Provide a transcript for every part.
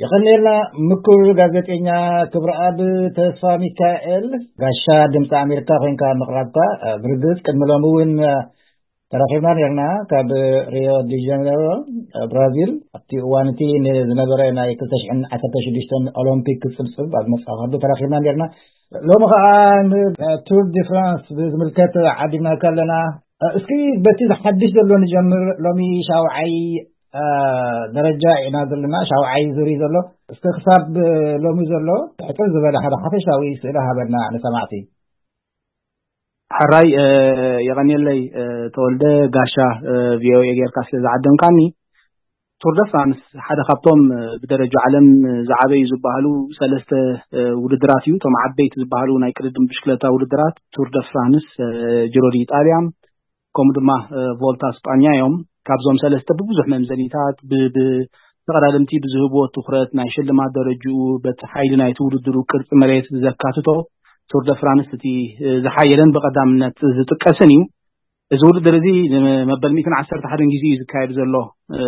የቐንየልና ምኩር ጋዜጠኛ ክብረኣብ ተስፋ ሚካኤል፣ ጋሻ ድምፂ ኣሜሪካ ኮይንካ ምቕራብካ። ብርግፅ ቅድሚ ሎሚ እውን ተራኺብና ኔርና። ካብ ሪዮ ዲ ጀኔሮ ብራዚል ኣብቲ እዋን እቲ ንዝነበረ ናይ ክልተ ሽሕን ዓሰርተ ሽዱሽተን ኦሎምፒክ ክፅብፅብ ኣብ መፅኣ ከሎ ተራኺብና ኔርና። ሎሚ ከዓ ንቱር ዲ ፍራንስ ብዝምልከት ዓዲምናካ ኣለና። እስኪ በቲ ሓድሽ ዘሎ ንጀምር። ሎሚ ሻውዓይ ደረጃ ኢና ዘለና፣ ሻውዓይ ዙር እዩ ዘሎ። እስኪ ክሳብ ሎሚ ዘሎ ሕፅር ዝበለ ሓደ ሓፈሻዊ ስእሊ ሃበና ንሰማዕቲ። ሕራይ የቐንየለይ። ተወልደ፣ ጋሻ ቪኦኤ ጌርካ ስለ ዝዓደምካኒ። ቱር ደ ፍራንስ ሓደ ካብቶም ብደረጃ ዓለም ዝዓበዩ ዝበሃሉ ሰለስተ ውድድራት እዩ። እቶም ዓበይቲ ዝበሃሉ ናይ ቅድድም ብሽክለታ ውድድራት ቱር ደ ፍራንስ፣ ጅሮ ዲ ኢጣልያ፣ ከምኡ ድማ ቮልታ ስጳኛ እዮም። ካብዞም ሰለስተ ብብዙሕ መምዘኒታት፣ ብተቐዳደምቲ ብዝህብዎ ትኹረት፣ ናይ ሽልማት ደረጅኡ፣ በቲ ሓይሊ ናይቲ ውድድሩ ቅርፂ መሬት ዘካትቶ፣ ቱር ደ ፍራንስ እቲ ዝሓየለን ብቐዳምነት ዝጥቀስን እዩ። እዚ ውድድር እዚ ንመበል ሚእትን ዓሰርተ ሓደን ግዜ እዩ ዝካየድ ዘሎ።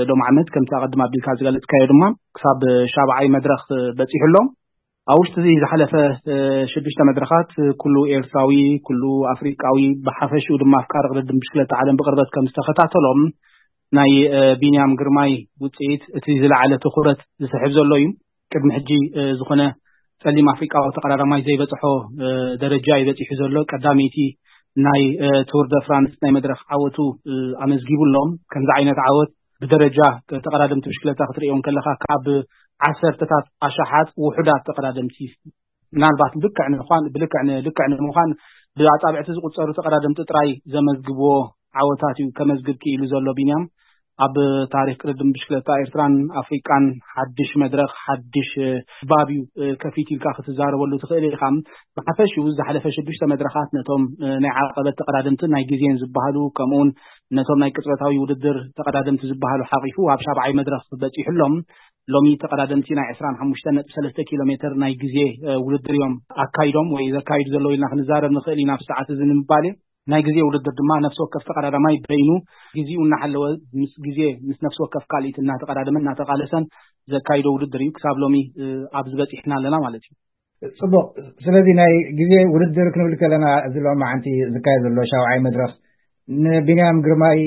ሎም ዓመት ከምቲ ኣቐድም ኣቢልካ ዝገለፅካዮ ድማ ክሳብ ሻብዓይ መድረኽ በፂሑ ኣሎ። ኣብ ውሽጢ እዚ ዝሓለፈ ሽዱሽተ መድረኻት ኩሉ ኤርትራዊ፣ ኩሉ ኣፍሪቃዊ፣ ብሓፈሽኡ ድማ ኣፍቃሪ ቅድድም ብሽክለታ ዓለም ብቅርበት ከም ዝተኸታተሎም ናይ ቢንያም ግርማይ ውፅኢት እቲ ዝለዓለ ትኹረት ዝስሕብ ዘሎ እዩ። ቅድሚ ሕጂ ዝኾነ ፀሊም ኣፍሪቃዊ ተቐዳዳማይ ዘይበፅሖ ደረጃ እዩ በፂሑ ዘሎ። ቀዳመይቲ ናይ ቱር ደ ፍራንስ ናይ መድረኽ ዓወቱ ኣመዝጊቡ ኣሎ። ከምዚ ዓይነት ዓወት ብደረጃ ተቐዳደምቲ ብሽክለታ ክትርእዮ ከለኻ ካብ ዓሰርተታት ኣሽሓት ውሑዳት ተቐዳደምቲ፣ ምናልባት ልክዕ ንምዃን ብልክዕ ልክዕ ንምዃን ብኣጻብዕቲ ዝቁጸሩ ተቐዳደምቲ ጥራይ ዘመዝግብዎ ዓወታት እዩ ከመዝግብ ክኢሉ ዘሎ ቢንያም። ኣብ ታሪክ ቅድድም ብሽክለታ ኤርትራን ኣፍሪቃን ሓድሽ መድረኽ፣ ሓድሽ ባብ እዩ ከፊት ኢልካ ክትዛረበሉ ትኽእል ኢኻ። ብሓፈሽኡ ዝሓለፈ ሽዱሽተ መድረኻት ነቶም ናይ ዓቐበት ተቐዳደምትን ናይ ግዜን ዝበሃሉ፣ ከምኡውን ነቶም ናይ ቅጽበታዊ ውድድር ተቐዳደምቲ ዝበሃሉ ሓቂፉ ኣብ ሻብዓይ መድረኽ በጺሑ ኣሎ። ሎሚ ተቐዳደምቲ ናይ ዕስራን ሓሙሽተን ነጥቢ ሰለስተ ኪሎ ሜትር ናይ ግዜ ውድድር እዮም ኣካይዶም ወይ ዘካይዱ ዘለዉ ኢልና ክንዛረብ ንኽእል ኢና። ኣብ ሰዓት እዚ ንምባል ናይ ግዜ ውድድር ድማ ነፍሲ ወከፍ ተቐዳዳማይ በይኑ ግዜኡ እናሓለወ ምስ ግዜ ምስ ነፍሲ ወከፍ ካልኢት እናተቐዳደመ እናተቓለሰን ዘካይዶ ውድድር እዩ። ክሳብ ሎሚ ኣብዚ በፂሕና ኣለና ማለት እዩ። ፅቡቕ። ስለዚ ናይ ግዜ ውድድር ክንብል ከለና እዚ ሎማዓንቲ ዝካየድ ዘሎ ሻውዓይ መድረኽ ንቢንያም ግርማይ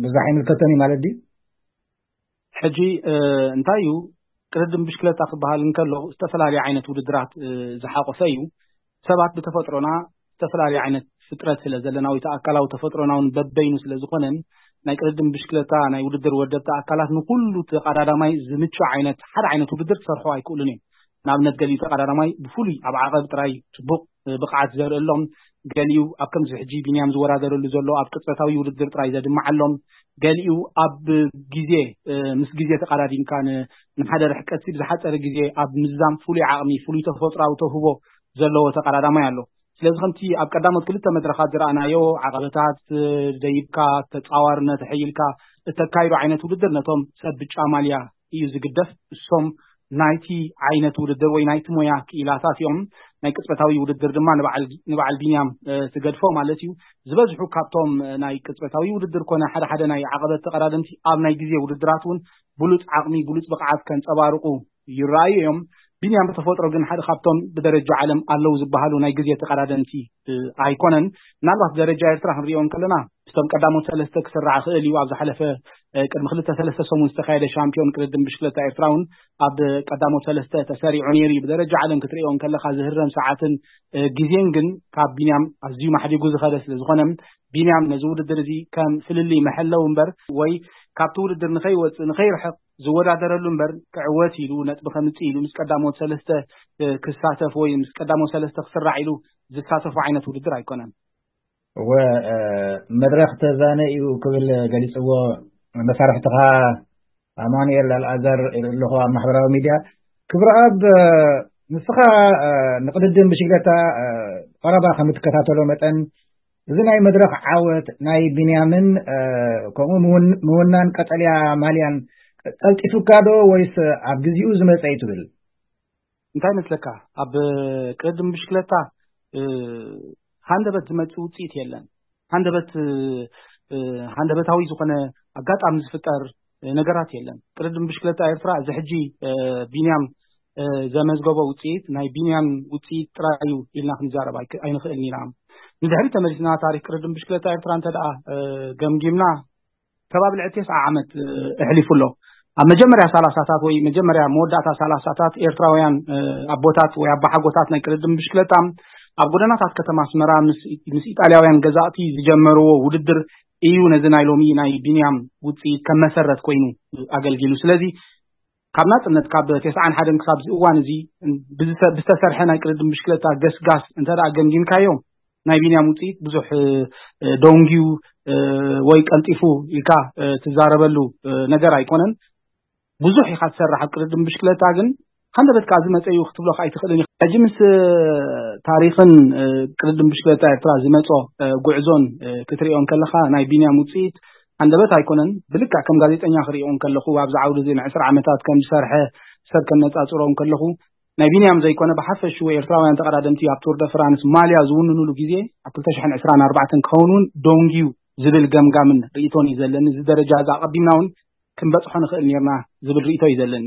ብዙሕ ኣይምልከቶን እዩ ማለት ድዩ? ሕጂ እንታይ እዩ ቅድድም ብሽክለታ ክበሃል እንከሎ ዝተፈላለዩ ዓይነት ውድድራት ዝሓቆፈ እዩ። ሰባት ብተፈጥሮና ዝተፈላለዩ ዓይነት ፍጥረት ስለ ዘለና ወይ ኣካላዊ ተፈጥሮና እውን በበይኑ ስለ ዝኾነን ናይ ቅድድም ብሽክለታ ናይ ውድድር ወደብቲ ኣካላት ንኩሉ ተቐዳዳማይ ዝምቹ ዓይነት ሓደ ዓይነት ውድድር ክሰርሑ ኣይክእሉን እዮም። ንኣብነት ገሊኡ ተቐዳዳማይ ብፍሉይ ኣብ ዓቐብ ጥራይ ጽቡቕ ብቕዓት ዘርእሎም፣ ገሊኡ ኣብ ከምዚ ሕጂ ቢንያም ዝወዳደረሉ ዘሎ ኣብ ቅጽበታዊ ውድድር ጥራይ ዘድምዓሎም፣ ገሊኡ ኣብ ግዜ ምስ ግዜ ተቐዳዲምካ ንሓደ ርሕቀት ብዝሓፀረ ግዜ ኣብ ምዝዛም ፍሉይ ዓቕሚ ፍሉይ ተፈጥራዊ ተውህቦ ዘለዎ ተቐዳዳማይ ኣሎ። ስለዚ ከምቲ ኣብ ቀዳሞት ክልተ መድረኻት ዝረኣናዮ ዓቐበታት ደይብካ ተፃዋርነት ሕይልካ እተካይዶ ዓይነት ውድድር ነቶም ሰብ ብጫ ማልያ እዩ ዝግደፍ። እሶም ናይቲ ዓይነት ውድድር ወይ ናይቲ ሞያ ክኢላታት እዮም። ናይ ቅጽበታዊ ውድድር ድማ ንበዓል ቢንያም ትገድፎ ማለት እዩ። ዝበዝሑ ካብቶም ናይ ቅጽበታዊ ውድድር ኮነ ሓደ ሓደ ናይ ዓቐበት ተቐዳደምቲ ኣብ ናይ ግዜ ውድድራት እውን ብሉጽ ዓቕሚ ብሉጽ ብቕዓት ከንጸባርቁ ይረኣዩ እዮም። ቢንያም ብተፈጥሮ ግን ሓደ ካብቶም ብደረጃ ዓለም ኣለዉ ዝበሃሉ ናይ ግዜ ተቐዳደምቲ ኣይኮነን። ምናልባት ደረጃ ኤርትራ ክንሪኦ እንከለና ምስቶም ቀዳሞት ሰለስተ ክስራዕ ክእል እዩ። ኣብ ዝሓለፈ ቅድሚ ክልተ ሰለስተ ሰሙን ዝተካየደ ሻምፒዮን ቅድድም ብሽክለታ ኤርትራ እውን ኣብ ቀዳሞት ሰለስተ ተሰሪዑ ነይሩ እዩ። ብደረጃ ዓለም ክትሪኦ እንከለካ ዝህረም ሰዓትን ግዜን ግን ካብ ቢንያም ኣዝዩ ማሕዲጉ ዝኸደ ስለ ዝኾነ ቢንያም ነዚ ውድድር እዚ ከም ፍልልይ መሐለዊ እምበር ወይ ካብቲ ውድድር ንኸይወፅእ ንኸይርሕቕ ዝወዳደረሉ እምበር ክዕወት ኢሉ ነጥቢ ከምፅእ ኢሉ ምስ ቀዳሞት ሰለስተ ክሳተፍ ወይ ምስ ቀዳሞት ሰለስተ ክስራዕ ኢሉ ዝሳተፎ ዓይነት ውድድር ኣይኮነን። እወ፣ መድረኽ ተዛነ እዩ ክብል ገሊፅዎ መሳርሕትኻ ኣማኑኤል ኣልኣዛር ኣለኹ ኣብ ማሕበራዊ ሚድያ። ክብረኣብ፣ ንስኻ ንቅድድም ብሽግለታ ቀረባ ከም እትከታተሎ መጠን እዚ ናይ መድረኽ ዓወት ናይ ቢንያምን ከምኡ ምውናን ቀጠልያ ማልያን ቀልጢፉካ ዶ ወይስ ኣብ ግዜኡ ዝመፀ እዩ ትብል? እንታይ መስለካ፣ ኣብ ቅድድም ብሽክለታ ሃንደበት ዝመጽእ ውጽኢት የለን። ሃንደበት ሃንደበታዊ ዝኾነ ኣጋጣሚ ዝፍጠር ነገራት የለን። ቅድድም ብሽክለታ ኤርትራ እዚ ሕጂ ቢንያም ዘመዝገቦ ውፅኢት ናይ ቢንያም ውፅኢት ጥራይ እዩ ኢልና ክንዛረብ ኣይንኽእልን ኢና። ንድሕሪ ተመሊስና ታሪክ ቅድድም ብሽክለታ ኤርትራ እንተ ደኣ ገምጊምና ከባቢ ልዕሊ ተስዓ ዓመት ኣሕሊፉ ኣሎ። ኣብ መጀመርያ ሰላሳታት ወይ መጀመርያ መወዳእታ ሰላሳታት ኤርትራውያን ኣቦታት ወይ ኣባሓጎታት ናይ ቅድድም ብሽክለታ ኣብ ጎደናታት ከተማ ኣስመራ ምስ ኢጣልያውያን ገዛእቲ ዝጀመርዎ ውድድር እዩ ነዚ ናይ ሎሚ ናይ ቢንያም ውፅኢት ከም መሰረት ኮይኑ ኣገልጊሉ። ስለዚ ካብ ናፅነት ካብ ተስዓን ሓደን ክሳብ እዚ እዋን እዚ ብዝተሰርሐ ናይ ቅድድም ብሽክለታ ገስጋስ እንተ ገምጊምካዮ ናይ ቢንያም ውፅኢት ብዙሕ ደንጊዩ ወይ ቀልጢፉ ኢልካ ትዛረበሉ ነገር ኣይኮነን። ብዙሕ ኢኻ ትሰርሕ ኣብ ቅድድም ብሽክለታ፣ ግን ሃንደበት ከኣ ዝመፀዩ ክትብሎ ከኣ ኣይትኽእልን ኢኻ። ሕጂ ምስ ታሪኽን ቅድድም ብሽክለታ ኤርትራ ዝመፆ ጉዕዞን ክትሪኦ እንከለኻ ናይ ቢንያም ውፅኢት ሃንደበት ኣይኮነን። ብልክዕ ከም ጋዜጠኛ ክሪኦ እንከለኹ ኣብዚ ዓውዲ እዚ ንዕስራ ዓመታት ከም ዝሰርሐ ሰብ ከነፃፅሮ እንከለኹ ናይ ቢንያም ዘይኮነ ብሓፈሽኡ ኤርትራውያን ተቐዳደምቲ ኣብ ቱር ደ ፍራንስ ማልያ ዝውንኑሉ ግዜ ኣብ ክልተ ሽሕን ዕስራን ኣርባዕተን ክኸውን እውን ደንጊዩ ዝብል ገምጋምን ርእይቶን እዩ ዘለኒ። እዚ ደረጃ እዚ ኣቐዲምና እውን ክንበጽሖ ንኽእል ኔርና ዝብል ርእይቶ እዩ ዘለኒ።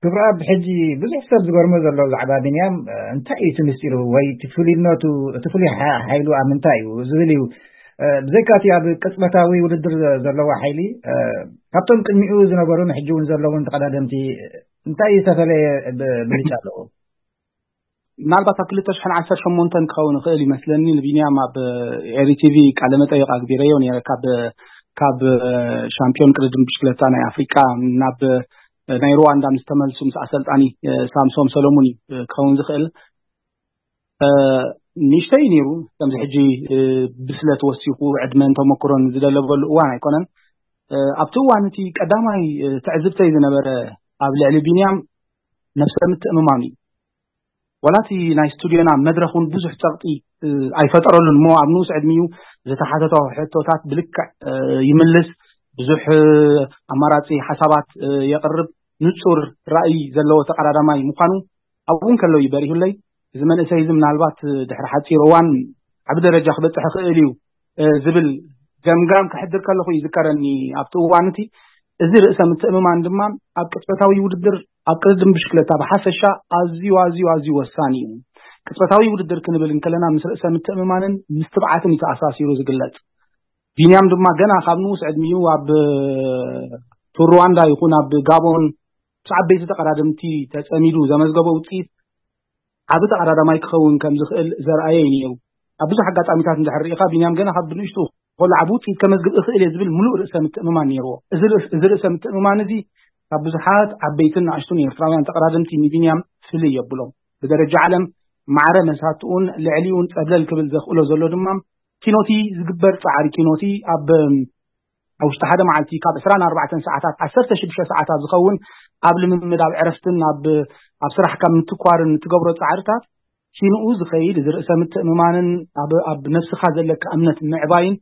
ክብረኣብ፣ ሕጂ ብዙሕ ሰብ ዝገርሞ ዘሎ ብዛዕባ ቢንያም እንታይ እዩ እቲ ምስጢሩ ወይ እቲ ፍሉይነቱ፣ እቲ ፍሉይ ሓይሉ ኣብ ምንታይ እዩ ዝብል እዩ። ብዘይካ እቲ ኣብ ቅጽበታዊ ውድድር ዘለዎ ሓይሊ፣ ካብቶም ቅድሚኡ ዝነበሩን ሕጂ እውን ዘለውን ተቐዳደምቲ እንታይ ዝተፈለየ ብልጫ ኣለዎ? ምናልባት ኣብ ክልተ ሽሕን ዓሰርተ ሸሞንተን ክኸውን ይኽእል ይመስለኒ ንቢንያም ኣብ ኤሪ ቲቪ ቃለ መጠይቕ ኣግቢረዮ ነይረ። ካብ ካብ ሻምፒዮን ቅድድም ብሽክለታ ናይ ኣፍሪቃ ናብ ናይ ሩዋንዳ ምስ ተመልሱ ምስ ኣሰልጣኒ ሳምሶም ሰለሙን እዩ ክኸውን ዝኽእል። ንእሽተይ ነይሩ ከምዚ ሕጂ ብስለት ወሲኹ ዕድመን ተመክሮን ዝደለበሉ እዋን ኣይኮነን። ኣብቲ እዋን እቲ ቀዳማይ ትዕዝብተይ ዝነበረ ኣብ ልዕሊ ቢንያም ነብሰ ምትእምማን እዩ። ዋላ እቲ ናይ ስቱድዮና መድረኽ እውን ብዙሕ ጸቕጢ ኣይፈጠረሉን እሞ ኣብ ንኡስ ዕድሚኡ ዝተሓተቶ ሕቶታት ብልክዕ ይምልስ፣ ብዙሕ ኣማራጺ ሓሳባት የቕርብ፣ ንጹር ራእይ ዘለዎ ተቐዳዳማይ ምዃኑ ኣብኡ እንከሎ እዩ በሪሁለይ። እዚ መንእሰይ እዚ ምናልባት ድሕሪ ሓጺር እዋን ዓቢ ደረጃ ክበጽሕ ይኽእል እዩ ዝብል ገምጋም ክሕድር ከለኹ ይዝከረኒ ኣብቲ እዋን እቲ። እዚ ርእሰ ምትእምማን ድማ ኣብ ቅጽበታዊ ውድድር ኣብ ቅድድም ብሽክለታ ብሓፈሻ ኣዝዩ ኣዝዩ ኣዝዩ ወሳኒ እዩ። ቅጽበታዊ ውድድር ክንብል እንከለና ምስ ርእሰ ምትእምማንን ምስ ትብዓትን እዩ ተኣሳሲሩ ዝግለጽ። ቢንያም ድማ ገና ካብ ንኡስ ዕድሚኡ ኣብ ቱር ሩዋንዳ ይኹን ኣብ ጋቦን ምስ ዓበይቲ ተቐዳደምቲ ተጸሚዱ ዘመዝገቦ ውጽኢት ዓቢ ተቐዳዳማይ ክኸውን ከም ዝኽእል ዘርኣየ እዩ ነይሩ። ኣብ ብዙሕ ኣጋጣሚታት እንድሕር ርኢኻ ቢንያም ገና ካብ ብንእሽቱ ከሎ ዓቢ ውጽኢት ከመዝግብ እኽእል እየ ዝብል ምሉእ ርእሰ ምትእምማን ነይርዎ። እዚ ርእስ- እዚ ርእሰ ምትእምማን እዚ ካብ ብዙሓት ዓበይትን ንኣሽቱን ኤርትራውያን ተቐዳደምቲ ንቢንያም ፍልይ የብሎም። ብደረጃ ዓለም ማዕረ መሳትኡን ልዕሊኡን ጸብለል ክብል ዘኽእሎ ዘሎ ድማ ኪኖቲ ዝግበር ጻዕሪ ኪኖቲ ኣብ ኣብ ውሽጢ ሓደ መዓልቲ ካብ ዕስራን ኣርባዕተን ሰዓታት ዓሰርተ ሽዱሽተ ሰዓታት ዝኸውን ኣብ ልምምድ ኣብ ዕረፍትን ኣብ ኣብ ስራሕ ካብ ምትኳርን እትገብሮ ጻዕርታት ኪንኡ ዝኸይድ እዚ ርእሰ ምትእምማንን ኣብ ኣብ ነብስኻ ዘለካ እምነት ምዕባይን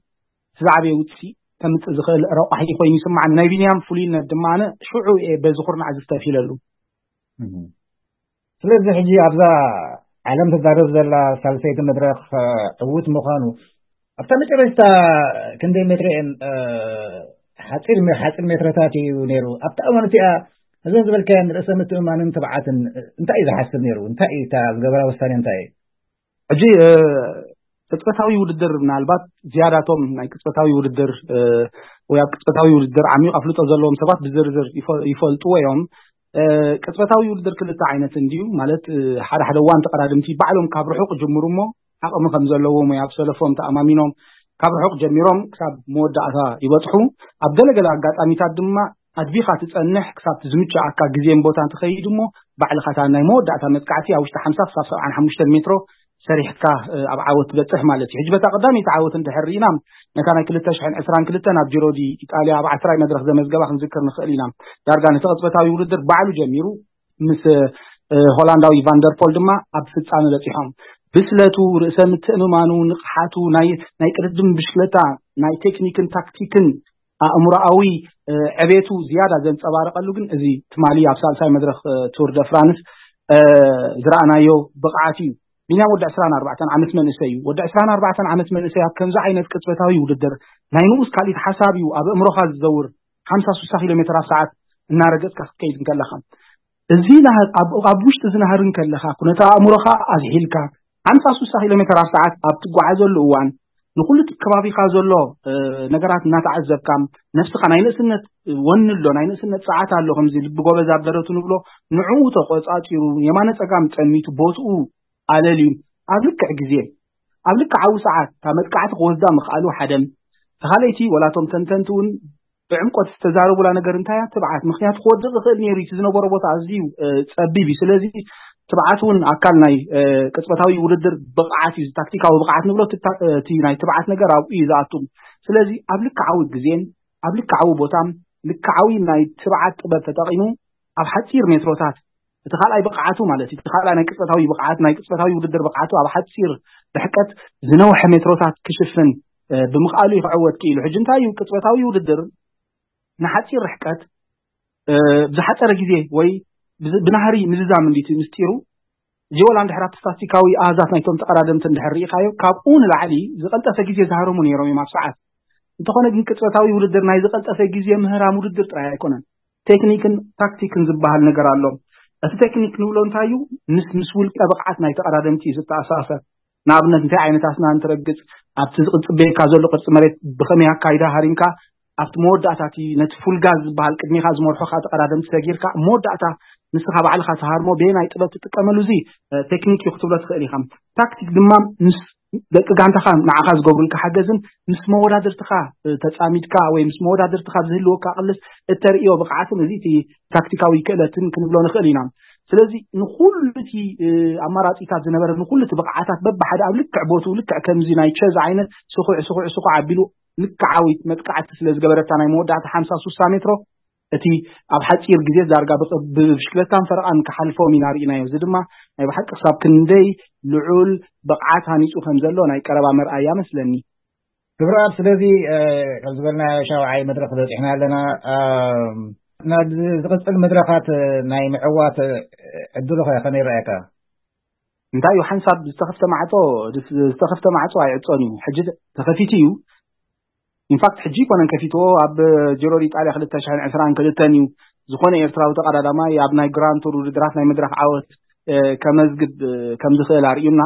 ዝዓበየ ውፅኢት ከምፅእ ዝኽእል ረቋሒ ኮይኑ ይስማዓኒ። ናይ ቢንያም ፍሉይነት ድማ ኣነ ሽዑ እየ በዚ ኩርናዕ ዝተፊለሉ። ስለዚ ሕጂ ኣብዛ ዓለም ትዛረብ ዘላ ሳልሰይቲ መድረኽ ዕዉት ምዃኑ ኣብታ መጨረሽታ ክንደይ ሜትሪ እየን ሓፂር ሓፂር ሜትረታት እዩ ነይሩ ኣብታ እዋን እቲኣ እዘን ዝበልካየን ርእሰ ምትእማንን ትብዓትን እንታይ እዩ ዝሓስብ ነይሩ እንታይ እዩ እታ ዝገበራ ውሳኔ እንታይ እዩ ሕጂ ቅጽበታዊ ውድድር ምናልባት ዝያዳቶም ናይ ቅጽበታዊ ውድድር ወይ ኣብ ቅጽበታዊ ውድድር ዓሚቕ ኣፍልጦ ዘለዎም ሰባት ብዝርዝር ይፈልጥዎ እዮም። ቅጽበታዊ ውድድር ክልተ ዓይነት እንድዩ ማለት ሓደ ሓደ እዋን ተቐዳድምቲ ባዕሎም ካብ ርሑቕ ጅምሩ እሞ ዓቕሚ ከም ዘለዎም ወይ ኣብ ሰለፎም ተኣማሚኖም ካብ ርሑቕ ጀሚሮም ክሳብ መወዳእታ ይበጽሑ። ኣብ ገለገለ ኣጋጣሚታት ድማ ኣድቢኻ ትጸንሕ ክሳብ ዝምችኣካ ግዜን ቦታን ትኸይድ እሞ ባዕልኻ እታ ናይ መወዳእታ መጥቃዕቲ ኣብ ውሽጢ ሓምሳ ክሳብ ሰብዓን ሓሙሽተን ሜትሮ ሰሪሕካ ኣብ ዓወት ትበጽሕ ማለት እዩ። ሕጂ በታ ቀዳመይቲ ዓወት እንድሕር ርኢና ነታ ናይ ክልተ ሽሕን ዕስራን ክልተን ኣብ ጂሮ ዲ ኢጣልያ ኣብ ዓስራይ መድረኽ ዘመዝገባ ክንዝክር ንኽእል ኢና። ዳርጋ ነቲ ቅጽበታዊ ውድድር ባዕሉ ጀሚሩ ምስ ሆላንዳዊ ቫንደርፖል ድማ ኣብ ፍጻመ በጺሖም። ብስለቱ፣ ርእሰ ምትእምማኑ፣ ንቕሓቱ፣ ናይ ናይ ቅድድም ብሽክለታ ናይ ቴክኒክን ታክቲክን ኣእምሮኣዊ ዕቤቱ ዝያዳ ዘንጸባረቐሉ ግን እዚ ትማሊ ኣብ ሳልሳይ መድረኽ ቱር ደ ፍራንስ ዝረኣናዮ ብቕዓት እዩ። ቢንያም ወዲ ዕስራን ኣርባዕተን ዓመት መንእሰይ እዩ። ወዲ ዕስራን ኣርባዕተን ዓመት መንእሰይ ኣብ ከምዚ ዓይነት ቅጽበታዊ ውድድር ናይ ንኡስ ካልኢት ሓሳብ እዩ ኣብ ኣእምሮኻ ዝዘውር። ሓምሳ ስሳ ኪሎ ሜትር ኣብ ሰዓት እናረገጽካ ክትከይድ እንከለኻ፣ እዚ ናህር ኣብ ውሽጢ እዚ ናህር እንከለኻ፣ ኩነታ ኣእምሮኻ ኣዝሒልካ ሓምሳ ስሳ ኪሎ ሜትር ኣብ ሰዓት ኣብ ትጓዓዘሉ እዋን፣ ንኹሉ እቲ ከባቢኻ ዘሎ ነገራት እናተዓዘብካ፣ ነብስኻ፣ ናይ ንእስነት ወኒ ኣሎ፣ ናይ ንእስነት ጸዓት ኣሎ፣ ከምዚ ልቢ ጎበዝ ኣብ ደረቱ ንብሎ፣ ንዕኡ ተቆጻጺሩ፣ የማነ ጸጋም ጠሚቱ፣ ቦትኡ ኣለልዩ፣ ኣብ ልክዕ ግዜ፣ ኣብ ልክዓዊ ሰዓት እታ መጥቃዕቲ ክወስዳ ምኽኣሉ ሓደን፣ ተኻለይቲ ወላቶም ተንተንቲ እውን ብዕምቆት ዝተዛረቡላ ነገር እንታይ እያ? ትብዓት። ምክንያቱ ክወድቕ ይኽእል ነይሩ፣ እቲ ዝነበሮ ቦታ ኣዝዩ ጸቢብ እዩ። ስለዚ ትብዓት እውን ኣካል ናይ ቅጽበታዊ ውድድር ብቕዓት እዩ። ታክቲካዊ ብቕዓት ንብሎ፣ እቲ ናይ ትብዓት ነገር ኣብኡ እዩ ዝኣቱ። ስለዚ ኣብ ልክዓዊ ግዜን ኣብ ልክዓዊ ቦታን ልክዓዊ ናይ ትብዓት ጥበብ ተጠቒሙ ኣብ ሓጺር ሜትሮታት፣ እቲ ካልኣይ ብቕዓቱ ማለት እዩ፣ እቲ ካልኣይ ናይ ቅጽበታዊ ብቕዓት፣ ናይ ቅጽበታዊ ውድድር ብቕዓቱ ኣብ ሓጺር ርሕቀት ዝነውሐ ሜትሮታት ክሽፍን ብምኽኣሉ እዩ ክዕወት ክኢሉ። ሕጂ እንታይ እዩ ቅጽበታዊ ውድድር ንሓጺር ርሕቀት ብዝሓጸረ ግዜ ወይ ብናህሪ ምዝዛም እንዲቲ ምስጢሩ። ጂወላ እንድሕር ኣብቲ ስታስቲካዊ ኣሃዛት ናይቶም ተቐዳደምቲ እንድሕር ርኢኻዮ፣ ካብኡ ንላዕሊ ዝቐልጠፈ ግዜ ዝሃረሙ ነይሮም እዮም ኣብ ሰዓት። እንተኾነ ግን ቅጽበታዊ ውድድር ናይ ዝቐልጠፈ ግዜ ምህራም ውድድር ጥራይ ኣይኮነን። ቴክኒክን ታክቲክን ዝበሃል ነገር ኣሎ። እቲ ቴክኒክ ንብሎ እንታይ እዩ? ምስ ምስ ውልቀ ብቕዓት ናይ ተቐዳደምቲ እዩ ዝተኣሳሰር። ንኣብነት እንታይ ዓይነት ኣስናን ትረግጽ፣ ኣብቲ ዝጽበየካ ዘሎ ቅርጺ መሬት ብኸመይ ኣካይዳ ሃሪምካ ኣብቲ መወዳእታ እቲ ነቲ ፉል ጋዝ ዝበሃል ቅድሚኻ ዝመርሖኻ ተቐዳደምቲ ሰጊርካ ኣብ መወዳእታ ንስኻ ባዕልኻ ትሃርሞ በየናይ ጥበብ ትጥቀመሉ፣ እዚ ቴክኒክ እዩ ክትብሎ ትኽእል ኢኻ። ታክቲክ ድማ ምስ ደቂ ጋንታኻ ንዓኻ ዝገብሩልካ ሓገዝን ምስ መወዳድርትኻ ተጻሚድካ ወይ ምስ መወዳድርትኻ ዝህልወካ ቅልስ እተርእዮ ብቕዓትን፣ እዚ እቲ ታክቲካዊ ክእለትን ክንብሎ ንኽእል ኢና። ስለዚ ንኹሉ እቲ ኣማራጺታት ዝነበረ፣ ንኹሉ እቲ ብቕዓታት በብሓደ ኣብ ልክዕ ቦትኡ፣ ልክዕ ከምዚ ናይ ቸዝ ዓይነት ስኹዕ ስኹዕ ስኹዕ ኣቢሉ ልክዓዊት መጥቃዕቲ ስለ ዝገበረታ፣ ናይ መወዳእታ ሓምሳ ስሳ ሜትሮ እቲ ኣብ ሓጺር ግዜ ዳርጋ ብብሽክለታን ፈረቓን ክሓልፎም ኢና ርኢናዮ። እዚ ድማ ናይ ብሓቂ ክሳብ ክንደይ ልዑል ብቕዓት ሃኒጹ ከም ዘሎ ናይ ቀረባ መርኣያ መስለኒ። ክብረኣብ፣ ስለዚ ከም ዝበልናዮ ሻውዓይ መድረኽ በጺሕና ኣለና። ናብ ዝቕጽል መድረኻት ናይ ምዕዋት ዕድሉ ኸ ከመይ ይረኣየካ? እንታይ እዩ ሓንሳብ ዝተኸፍተ ማዕጾ፣ ዝተኸፍተ ማዕጾ ኣይዕጾን እዩ። ሕጂ ተኸፊቱ እዩ። ኢንፋክት ሕጂ ይኮነን ከፊትዎ፣ ኣብ ጅሮ ኢጣልያ ክልተ ሽሕን ዕስራን ክልተን እዩ። ዝኾነ ኤርትራዊ ተቐዳዳማይ ኣብ ናይ ግራንድ ቱር ውድድራት ናይ መድረኽ ዓወት ከመዝግብ ከም ዝኽእል ኣርእዩና።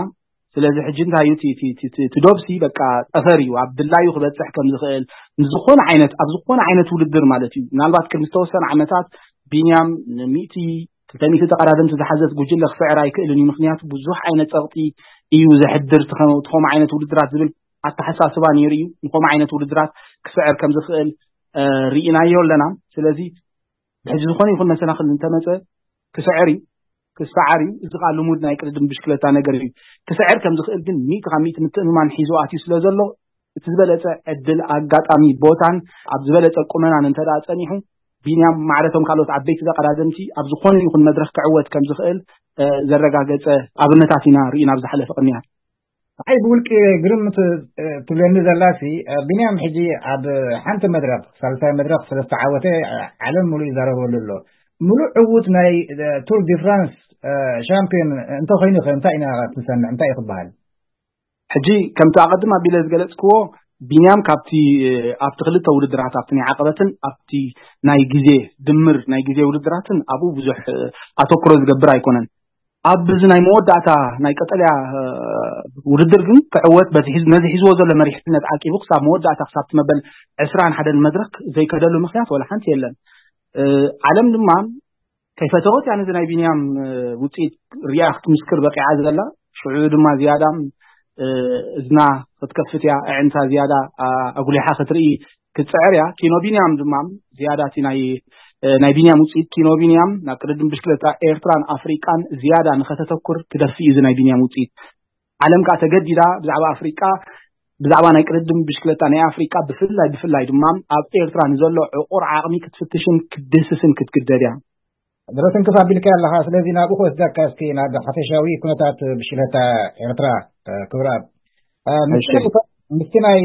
ስለዚ ሕጂ እንታይ እዩ እቲ ዶብሲ በቃ ጠፈር እዩ፣ ኣብ ድላዩ ክበጽሕ ከም ዝኽእል፣ ዝኾነ ዓይነት፣ ኣብ ዝኾነ ዓይነት ውድድር ማለት እዩ። ምናልባት ቅድሚ ዝተወሰነ ዓመታት ቢንያም ንሚእቲ ክልተ ሚእቲ ተቐዳደምቲ ዝሓዘት ጉጅለ ክስዕር ኣይክእልን እዩ፣ ምክንያቱ ብዙሕ ዓይነት ጸቕጢ እዩ ዘሕድር እቲ ከምኡ ዓይነት ውድድራት ዝብል ኣተሓሳስባ ነይሩ እዩ። ንከምኡ ዓይነት ውድድራት ክስዕር ከም ዝኽእል ርኢናዮ ኣለና። ስለዚ ብሕጂ ዝኾነ ይኹን መሰናኽል እንተመጸ ክስዕር እዩ፣ ክሰዓር እዩ። እዚ ከዓ ልሙድ ናይ ቅድድም ብሽክለታ ነገር እዩ። ክስዕር ከም ዝኽእል ግን ሚእቲ ካብ ሚእቲ ምትእምማን ሒዙ ኣትዩ ስለ ዘሎ፣ እቲ ዝበለጸ ዕድል፣ ኣጋጣሚ፣ ቦታን ኣብ ዝበለጸ ቁመናን እንተ ደኣ ጸኒሑ፣ ቢንያም ማዕረቶም ካልኦት ዓበይቲ ተቐዳደምቲ ኣብ ዝኾነ ይኹን መድረኽ ክዕወት ከም ዝኽእል ዘረጋገጸ ኣብነታት ኢና ርኢና ኣብ ዝሓለፈ ቅንያት። ኣይ ብውልቂ ግርም ትብለኒ ዘላሲ፣ ቢንያም ሕጂ ኣብ ሓንቲ መድረኽ፣ ሳልሳይ መድረኽ ስለ ዝተዓወተ ዓለም ሙሉእ ይዛረበሉ ኣሎ። ሙሉእ ዕዉት ናይ ቱር ዲ ፍራንስ ሻምፒዮን እንተኾይኑ ኸ እንታይ ኢና ክንሰምዕ? እንታይ እዩ ክበሃል? ሕጂ ከምቲ ኣቐድም ኣቢለ ዝገለጽክዎ፣ ቢንያም ካብቲ ኣብቲ ክልተ ውድድራት፣ ኣብቲ ናይ ዓቐበትን ኣብቲ ናይ ግዜ ድምር ናይ ግዜ ውድድራትን ኣብኡ ብዙሕ ኣተኩሮ ዝገብር ኣይኮነን። ኣብ እዚ ናይ መወዳእታ ናይ ቀጠልያ ውድድር ግን ክዕወት በዚ ሒዝ-፣ ነዚ ሒዝዎ ዘሎ መሪሕነት ዓቂቡ ክሳብ መወዳእታ ክሳብ እቲ መበል ዕስራን ሓደን መድረክ ዘይከደሉ ምኽንያት ወላ ሓንቲ የለን። ዓለም ድማ ከይፈተወት እያ ነዚ ናይ ቢንያም ውፅኢት ሪኣ ክትምስክር በቂዓ ዘላ። ሽዑ ድማ ዝያዳ እዝና ክትከፍት እያ፣ ኣዒንታ ዝያዳ ኣጉሊሓ ክትርኢ ክትፅዕር እያ። ኪኖ ቢንያም ድማ ዝያዳ እቲ ናይ ናይ ቢንያም ውፅኢት ኪኖ ቢንያም ናብ ቅድድም ብሽክለታ ኤርትራን ኣፍሪቃን ዝያዳ ንኸተተኩር ክደፊ እዩ እዚ ናይ ቢንያም ውፅኢት። ዓለም ከዓ ተገዲዳ ብዛዕባ ኣፍሪቃ፣ ብዛዕባ ናይ ቅድድም ብሽክለታ ናይ ኣፍሪቃ ብፍላይ ብፍላይ ድማ ኣብ ኤርትራ ንዘሎ ዕቑር ዓቕሚ ክትፍትሽን ክትድህስስን ክትግደድ እያ። ድሮ ትንክፍ ኣቢልካ ኣለኻ። ስለዚ ናብኡ ክወስደካ እስኪ ናብ ሓፈሻዊ ኩነታት ብሽክለታ ኤርትራ። ክብረኣብ፣ ምስቲ ናይ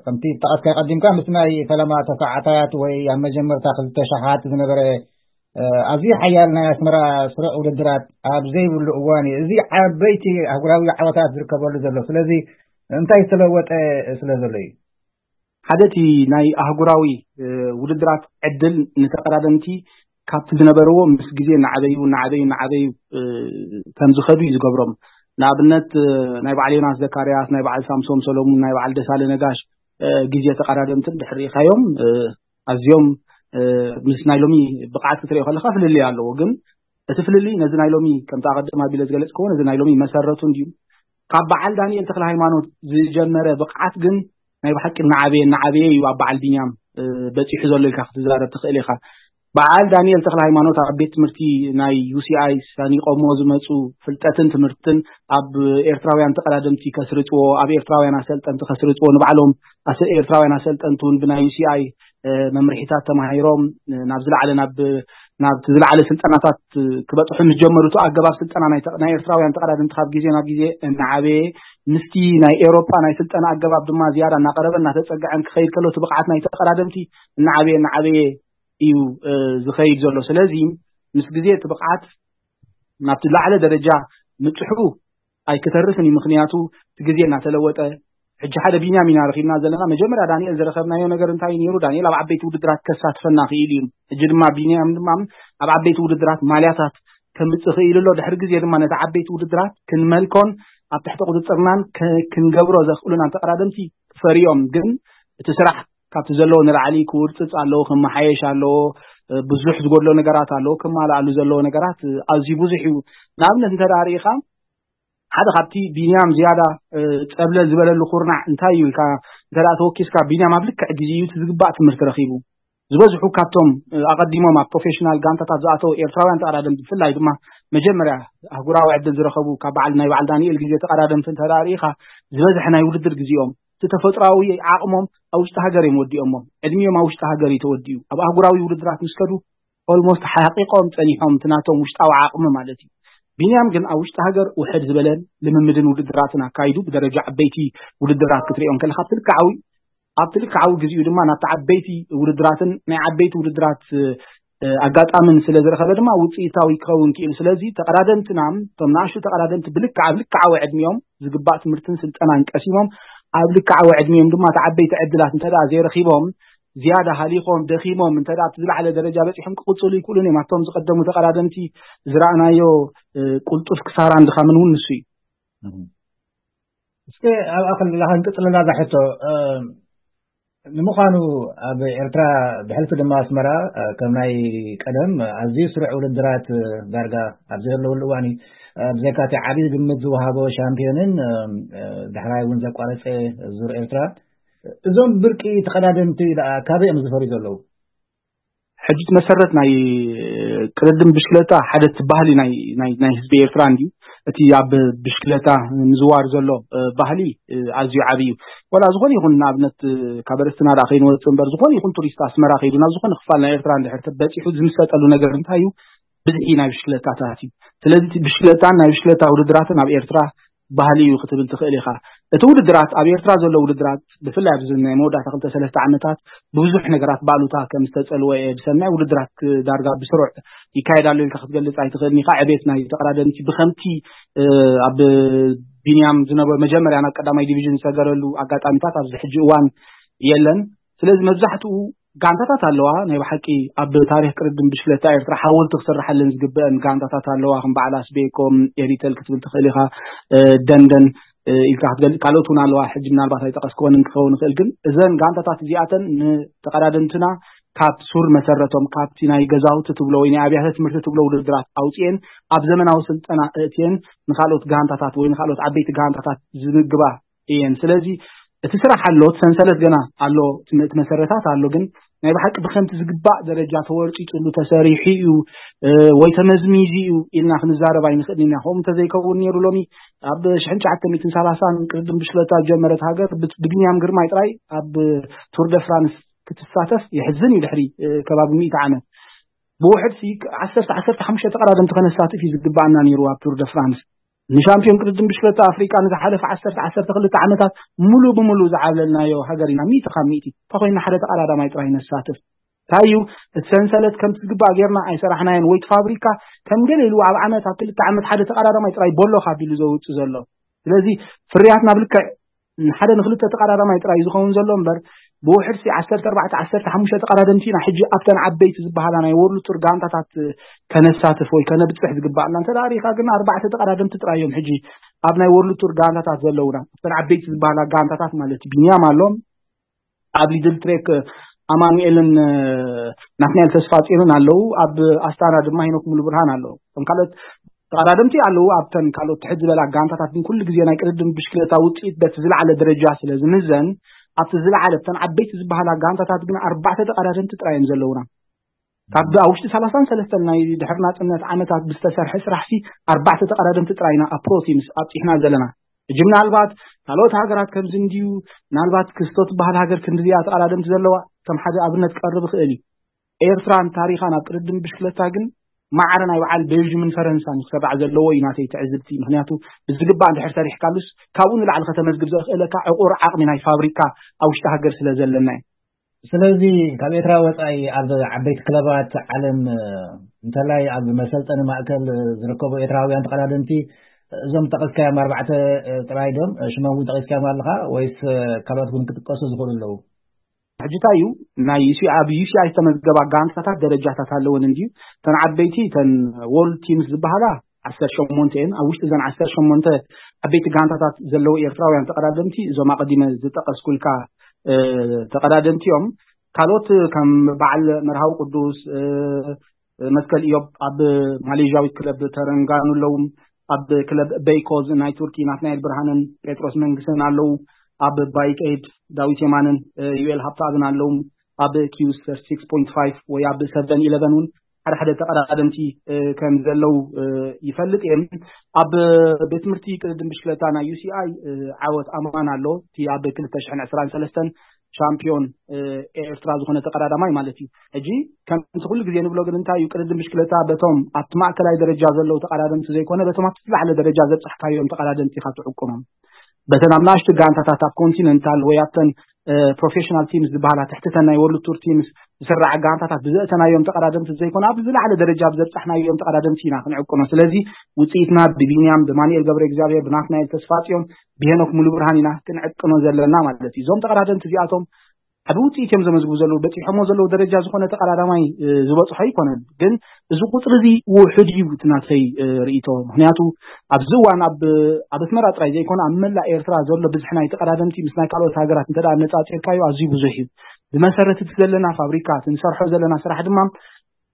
ከምቲ ጠቐስካ ቀዲምካ ምስ ናይ ፈለማ ተሳዓታት ወይ ኣብ መጀመርታ ክልተ ሸሓት ዝነበረ ኣዝዩ ሓያል ናይ ኣስመራ ስሩዕ ውድድራት ኣብ ዘይብሉ እዋን እዩ እዚ ዓበይቲ ኣህጉራዊ ዓወታት ዝርከበሉ ዘሎ። ስለዚ እንታይ ዝተለወጠ ስለ ዘሎ እዩ? ሓደ እቲ ናይ ኣህጉራዊ ውድድራት ዕድል ንተቐዳደምቲ ካብቲ ዝነበርዎ ምስ ግዜ እናዓበዩ እናዓበዩ እናዓበዩ ከም ዝኸዱ እዩ ዝገብሮም። ንኣብነት ናይ በዓል ዮናስ ዘካርያስ፣ ናይ በዓል ሳምሶም ሰሎሙን፣ ናይ በዓል ደሳለ ነጋሽ ግዜ ተቐዳደምትን ድሕር ርኢኻዮም ኣዝዮም ምስ ናይ ሎሚ ብቕዓት ክትሪኦ ከለኻ ፍልልይ ኣለዎ። ግን እቲ ፍልልይ ነዚ ናይ ሎሚ ከምቲ ኣቐድም ኣቢለ ዝገለጽክዎ ነዚ ናይ ሎሚ መሰረቱ እንድዩ። ካብ በዓል ዳንኤል ተክለ ሃይማኖት ዝጀመረ ብቕዓት ግን ናይ ብሓቂ እናዓበየ እናዓበየ እዩ ኣብ በዓል ቢንያም በፂሑ ዘሎ ኢልካ ክትዛረብ ትኽእል ኢኻ። በዓል ዳንኤል ተክለ ሃይማኖት ኣብ ቤት ትምህርቲ ናይ ዩ ሲ ኣይ ሳኒቆሞ ዝመፁ ፍልጠትን ትምህርትን ኣብ ኤርትራውያን ተቐዳደምቲ ከስርፅዎ፣ ኣብ ኤርትራውያን ኣሰልጠንቲ ከስርፅዎ፣ ንባዕሎም ኣሰ- ኤርትራውያን ኣሰልጠንቲ እውን ብናይ ዩ ሲ ኣይ መምርሒታት ተማሂሮም ናብ ዝለዓለ ናብ ናብቲ ዝለዓለ ስልጠናታት ክበፅሑ ምስ ጀመሩ እቲ ኣገባብ ስልጠና ናይ ተቕ- ናይ ኤርትራውያን ተቐዳደምቲ ካብ ግዜ ናብ ግዜ እናዓበየ ምስቲ ናይ ኤውሮጳ ናይ ስልጠና ኣገባብ ድማ ዝያዳ እናቐረበ እናተፀግዐን ክኸይድ ከሎ እቲ ብቕዓት ናይ ተቐዳደምቲ እናዓበየ እናዓበየ እዩ ዝኸይድ ዘሎ። ስለዚ ምስ ግዜ እቲ ብቕዓት ናብቲ ላዕለ ደረጃ ምፅሑ ኣይክተርፍን እዩ። ምክንያቱ እቲ ግዜ እናተለወጠ ሕጂ ሓደ ቢንያም ኢና ረኺብና ዘለና። መጀመርያ ዳንኤል ዝረኸብናዮ ነገር እንታይ ነይሩ? ዳንኤል ኣብ ዓበይቲ ውድድራት ከሳትፈና ክኢሉ እዩ። ሕጂ ድማ ቢንያም ድማ ኣብ ዓበይቲ ውድድራት ማልያታት ከምፅእ ክኢሉ ኣሎ። ድሕሪ ግዜ ድማ ነቲ ዓበይቲ ውድድራት ክንመልኮን ኣብ ትሕቲ ቁፅፅርናን ከ- ክንገብሮ ዘኽእሉና ተቐዳደምቲ ክፈርዮም። ግን እቲ ስራሕ ካብቲ ዘለዎ ንላዕሊ ክውርፅፅ ኣለዎ፣ ክመሓየሽ ኣለዎ። ብዙሕ ዝጎድሎ ነገራት ኣለዎ፣ ክማልኣሉ ዘለዎ ነገራት ኣዝዩ ብዙሕ እዩ። ንኣብነት እንተ ደኣ ርኢኻ ሓደ ካብቲ ቢንያም ዝያዳ ጸብለል ዝበለሉ ኩርናዕ እንታይ እዩ ኢልካ እንተ ደኣ ተወኪስካ፣ ቢንያም ኣብ ልክዕ ግዜ እዩ እቲ ዝግባእ ትምህርቲ ረኺቡ። ዝበዝሑ ካብቶም ኣቐዲሞም ኣብ ፕሮፌሽናል ጋንታታት ዝኣተው ኤርትራውያን ተቐዳደምቲ፣ ብፍላይ ድማ መጀመርያ ኣህጉራዊ ዕድል ዝረኸቡ ካብ በዓል ናይ በዓል ዳንኤል ግዜ ተቐዳደምቲ እንተ ደኣ ርኢኻ፣ ዝበዝሐ ናይ ውድድር ግዜኦም እቲ ተፈጥሮኣዊ ዓቕሞም ኣብ ውሽጢ ሃገር እዮም ወዲኦሞ። ዕድሚኦም ኣብ ውሽጢ ሃገር እዩ ተወዲኡ። ኣብ ኣህጉራዊ ውድድራት ምስ ከዱ ኦልሞስት ሓቂቆም ጸኒሖም፣ እቲ ናቶም ውሽጣዊ ዓቕሚ ማለት እዩ። ቢንያም ግን ኣብ ውሽጢ ሃገር ውሕድ ዝበለን ልምምድን ውድድራትን ኣካይዱ ብደረጃ ዓበይቲ ውድድራት ክትሪኦም ከለካ ኣብቲ ልክዓዊ ኣብቲ ልክዓዊ ግዜኡ ድማ ናብቲ ዓበይቲ ውድድራትን ናይ ዓበይቲ ውድድራት ኣጋጣምን ስለ ዝረኸበ ድማ ውፅኢታዊ ክኸውን ክኢሉ። ስለዚ ተቐዳደምትና እቶም ንኣሽቱ ተቐዳደምቲ ብልክዓ ኣብ ልክዓዊ ዕድሚኦም ዝግባእ ትምህርትን ስልጠናን ቀሲሞም ኣብ ልክዓዊ ዕድሚኦም ድማ እቲ ዓበይቲ ዕድላት እንተ ዘይረኺቦም ዝያዳ ሃሊኾም ደኺሞም እንተ ኣብቲ ዝለዓለ ደረጃ በፂሖም ክቕፅሉ ይክእሉን እዮም። ኣብቶም ዝቀደሙ ተቐዳደምቲ ዝረኣናዮ ቁልጡፍ ክሳራን ድኻምን እውን ንሱ እዩ። እስከ ኣብኣ ከለና ክንቅፅለላ እዛ ሕቶ። ንምዃኑ ኣብ ኤርትራ ብሕልፊ ድማ ኣስመራ ከም ናይ ቀደም ኣዝዩ ስሩዕ ውድድራት ዳርጋ ኣብ ዘለውሉ እዋን እዩ። ብዘይካቲ ዓብዪ ግምት ዝወሃቦ ሻምፒዮንን ዳሕራይ እውን ዘቋረፀ ዙር ኤርትራ እዞም ብርቂ ተቐዳደምቲ ደኣ ካበይ እዮም ዝፈርዩ ዘለዉ? ሕጂ እቲ መሰረት ናይ ቅድድም ብሽክለታ ሓደ እቲ ባህሊ ናይ ናይ ናይ ህዝቢ ኤርትራ እንድዩ። እቲ ኣብ ብሽክለታ ምዝዋር ዘሎ ባህሊ ኣዝዩ ዓብዪ እዩ። ዋላ ዝኾነ ይኹን ንኣብነት ካብ ኣርእስትና ደኣ ከይንወፅእ እምበር ዝኾነ ይኹን ቱሪስት ኣስመራ ከይዱ ናብ ዝኾነ ክፋል ናይ ኤርትራ እንድሕር በፂሑ ዝምሰጠሉ ነገር እንታይ እዩ? ብዝሒ ናይ ብሽክለታታት እዩ። ስለዚ እቲ ብሽክለታን ናይ ብሽክለታ ውድድራትን ኣብ ኤርትራ ባህሊ እዩ ክትብል ትኽእል ኢኻ። እቲ ውድድራት ኣብ ኤርትራ ዘሎ ውድድራት ብፍላይ ኣብዚ ናይ መወዳእታ ክልተ ሰለስተ ዓመታት ብብዙሕ ነገራት ባሉታ ከም ዝተጸልወ እየ ዝሰምዕ። ውድድራት ዳርጋ ብስሩዕ ይካየድ ኣሎ ኢልካ ክትገልጽ ኣይትኽእልን ኢኻ። ዕቤት ናይ ተቐዳደምቲ ብኸምቲ ኣብ ቢንያም ዝነበሩ መጀመርያ ናብ ቀዳማይ ዲቪዥን ዝሰገረሉ ኣጋጣሚታት ኣብዚ ሕጂ እዋን የለን። ስለዚ መብዛሕትኡ ጋንታታት ኣለዋ። ናይ ብሓቂ ኣብ ታሪኽ ቅድድም ብሽክለታ ኤርትራ ሓወልቲ ክስርሓለን ዝግበአን ጋንታታት ኣለዋ። ከም በዓል ኣስቤኮ፣ ኤሪተል ክትብል ትኽእል ኢኻ፣ ደንደን ኢልካ ክትገልጽ፣ ካልኦት እውን ኣለዋ። ሕጂ ምናልባት ኣይጠቐስክወንን ክኸውን ይኽእል፣ ግን እዘን ጋንታታት እዚኣተን ንተቐዳደምትና ካብ ሱር መሰረቶም ካብቲ ናይ ገዛውቲ ትብሎ ወይ ናይ ኣብያተ ትምህርቲ ትብሎ ውድድራት ኣውፅኤን ኣብ ዘመናዊ ስልጠና እእትየን ንካልኦት ጋንታታት ወይ ንካልኦት ዓበይቲ ጋንታታት ዝምግባ እየን። ስለዚ እቲ ስራሕ ኣሎ፣ እቲ ሰንሰለት ገና ኣሎ፣ እቲ መሰረታት ኣሎ። ግን ናይ ብሓቂ ብከምቲ ዝግባእ ደረጃ ተወርፂፅሉ ተሰሪሑ እዩ ወይ ተመዝሚዙ እዩ ኢልና ክንዛረብ ኣይንኽእልን ኢና። ከምኡ እንተዘይከውን ነይሩ ሎሚ ኣብ ሽሕን ትሽዓተ ሚእትን ሰላሳን ቅድድም ብሽክለታ ዝጀመረት ሃገር ብቢንያም ግርማይ ጥራይ ኣብ ቱር ደ ፍራንስ ክትሳተፍ የሕዝን እዩ። ድሕሪ ከባቢ ሚእቲ ዓመት ብውሕድ ዓሰርተ ዓሰርተ ሓሙሽተ ተቐዳደምቲ ከነሳትፍ እዩ ዝግባኣና ነይሩ ኣብ ቱር ደ ፍራንስ። ንሻምፒዮን ቅድድም ብሽክለታ ኣፍሪቃ ንዝሓለፈ ዓሰርተ ዓሰርተ ክልተ ዓመታት ሙሉ ብሙሉ ዝዓብለልናዮ ሃገር ኢና። ሚእቲ ካብ ሚእቲ እንተኮይና ሓደ ተቐዳዳማይ ጥራይ ነሳትፍ። እንታይ እዩ እቲ ሰንሰለት ከምቲ ዝግባእ ጌርና ኣይሰራሕናዮን ወይ እቲ ፋብሪካ ከም ገለ ኢሉ ኣብ ዓመት ኣብ ክልተ ዓመት ሓደ ተቐዳዳማይ ጥራይ ቦሎ ካብ ኢሉ ዘውፅእ ዘሎ። ስለዚ ፍርያት ናብ ልክዕ ንሓደ ንክልተ ተቐዳዳማይ ጥራይ ዝኸውን ዘሎ እምበር ብውሕድ ሲ ዓሰርተ ኣርባዕተ ዓሰርተ ሓሙሽተ ተቐዳደምቲ ኢና ሕጂ ኣብተን ዓበይቲ ዝበሃላ ናይ ወርልድ ቱር ጋንታታት ከነሳትፍ ወይ ከነብፅሕ ዝግባኣና። እንተ ደኣ ርኢኻ ግን ኣርባዕተ ተቐዳደምቲ ጥራይ እዮም ሕጂ ኣብ ናይ ወርልድ ቱር ጋንታታት ዘለውና፣ ኣብተን ዓበይቲ ዝበሃላ ጋንታታት ማለት እዩ። ቢንያም ኣሎ፣ ኣብ ሊድል ትሬክ ኣማኑኤልን ናትናኤል ተስፋ ጽዮንን ኣለዉ። ኣብ ኣስታና ድማ ሄኖክ ሙሉ ብርሃን ኣለዉ። እቶም ካልኦት ተቐዳደምቲ ኣለዉ። ኣብተን ካልኦት ትሕት ዝበላ ጋንታታት ግን ኩሉ ግዜ ናይ ቅድድም ብሽክለታ ውፅኢት በቲ ዝለዓለ ደረጃ ስለ ዝምዘን ኣብቲ ዝለዓለ ብተን ዓበይቲ ዝበሃላ ጋንታታት ግን ኣርባዕተ ተቐዳደምቲ ጥራይ እዮም ዘለውና። ካብ ኣብ ውሽጢ ሰላሳን ሰለስተን ናይ ድሕሪ ናፅነት ዓመታት ብዝተሰርሐ ስራሕ ሲ ኣርባዕተ ተቐዳደምቲ ጥራይና ኣብ ፕሮ ቲምስ ኣብፂሕና ዘለና። ሕጂ ምናልባት ካልኦት ሃገራት ከምዚ እንድዩ፣ ምናልባት ክስቶ ትበሃል ሃገር ክንድዚኣ ተቐዳደምቲ ዘለዋ ከም ሓደ ኣብነት ክቐርብ ይኽእል እዩ። ኤርትራን ታሪኻን ኣብ ቅድድም ብሽክለታ ግን ማዕረ ናይ በዓል ቤልጅምን ፈረንሳን ክስራዕ ዘለዎ እዩ ናተይ ትዕዝብቲ። ምክንያቱ ብዝግባእ እንድሕር ሰሪሕካሉስ ካብኡ ንላዕሊ ከተመዝግብ ዘኽእለካ ዕቑር ዓቕሚ ናይ ፋብሪካ ኣብ ውሽጢ ሃገር ስለ ዘለና እዩ። ስለዚ ካብ ኤርትራ ወጻኢ ኣብ ዓበይቲ ክለባት ዓለም፣ እንተላይ ኣብ መሰልጠኒ ማእከል ዝርከቡ ኤርትራውያን ተቐዳደምቲ፣ እዞም ጠቐስካዮም ኣርባዕተ ጥራይ ዶም? ሽሞም እውን ጠቒስካዮም ኣለኻ ወይስ ካልኦት እውን ክጥቀሱ ዝኽእሉ ኣለዉ? ሕጂ እንታይ እዩ፣ ናይ ዩሲ ኣብ ዩሲኣይ ዝተመዝገባ ጋንታታት ደረጃታት ኣለወን እንድዩ። እተን ዓበይቲ እተን ወርልድ ቲምስ ዝበሃላ ዓሰርተ ሸሞንተ እየን። ኣብ ውሽጢ እዘን ዓሰርተ ሸሞንተ ዓበይቲ ጋንታታት ዘለዉ ኤርትራውያን ተቐዳደምቲ እዞም ኣቐዲመ ዝጠቐስኩልካ ተቐዳደምቲ እዮም። ካልኦት ከም በዓል መርሃዊ ቅዱስ፣ መትከል ኢዮብ ኣብ ማሌዥያዊት ክለብ ተረንጋኑ ኣለዉ። ኣብ ክለብ በይኮዝ ናይ ቱርኪ ናትናኤል ብርሃንን ጴጥሮስ መንግስትን ኣለዉ። ኣብ ባይክ ኤድ ዳዊት የማንን ዩኤል ሃብተኣብን ኣለዉ። ኣብ ኪውስ ሲክስ ፖይንት ፋይቭ ወይ ኣብ ሰቨን ኢለቨን እውን ሓደ ሓደ ተቐዳደምቲ ከም ዘለዉ ይፈልጥ እየ። ኣብ ቤት ትምህርቲ ቅድድም ብሽክለታ ናይ ዩሲኣይ ዓወት ኣማን ኣሎ፣ እቲ ኣብ ክልተ ሽሕን ዕስራን ሰለስተን ሻምፒዮን ኤርትራ ዝኾነ ተቐዳዳማይ ማለት እዩ። ሕጂ ከምቲ ኩሉ ግዜ ንብሎ ግን እንታይ እዩ፣ ቅድድም ብሽክለታ በቶም ኣብቲ ማእከላይ ደረጃ ዘለዉ ተቐዳደምቲ ዘይኮነ በቶም ኣብቲ ዝለዓለ ደረጃ ዘብጻሕካዮም ተቐዳደምቲ ኢኻ ትዕቅኖም። በተን ኣብ ንኣሽቱ ጋንታታት ኣብ ኮንቲነንታል ወይ ኣብተን ፕሮፌሽናል ቲምስ ዝበሃላ ትሕትተን ናይ ወርልድ ቱር ቲምስ ዝስራዓ ጋንታታት ብዘእተናዮም ተቐዳደምቲ ዘይኮነ ኣብ ዝለዓለ ደረጃ ብዘብጻሕናዮም ተቐዳደምቲ ኢና ክንዕቅኖ። ስለዚ ውፅኢትና ብቢንያም፣ ብማኑኤል ገብረ እግዚኣብሔር፣ ብናትናኤል ተስፋ ጽዮን፣ ብሄኖክ ሙሉ ብርሃን ኢና ክንዕቅኖ ዘለና ማለት እዩ። እዞም ተቐዳደምቲ እዚኣቶም ዓቢ ውፅኢት እዮም ዘመዝግቡ ዘለዉ። በፂሖሞ ዘለዉ ደረጃ ዝኾነ ተቐዳዳማይ ዝበፅሖ ኣይኮነን። ግን እዚ ቁፅሪ እዚ ውሑድ እዩ እቲ ናተይ ርእይቶ። ምክንያቱ ኣብዚ እዋን ኣብ ኣብ ኣስመራ ጥራይ ዘይኮነ ኣብ መላእ ኤርትራ ዘሎ ብዝሒ ናይ ተቐዳደምቲ ምስ ናይ ካልኦት ሃገራት እንተ ኣነፃፂርካዮ ኣዝዩ ብዙሕ እዩ። ብመሰረት እቲ ዘለና ፋብሪካ እቲ ንሰርሖ ዘለና ስራሕ ድማ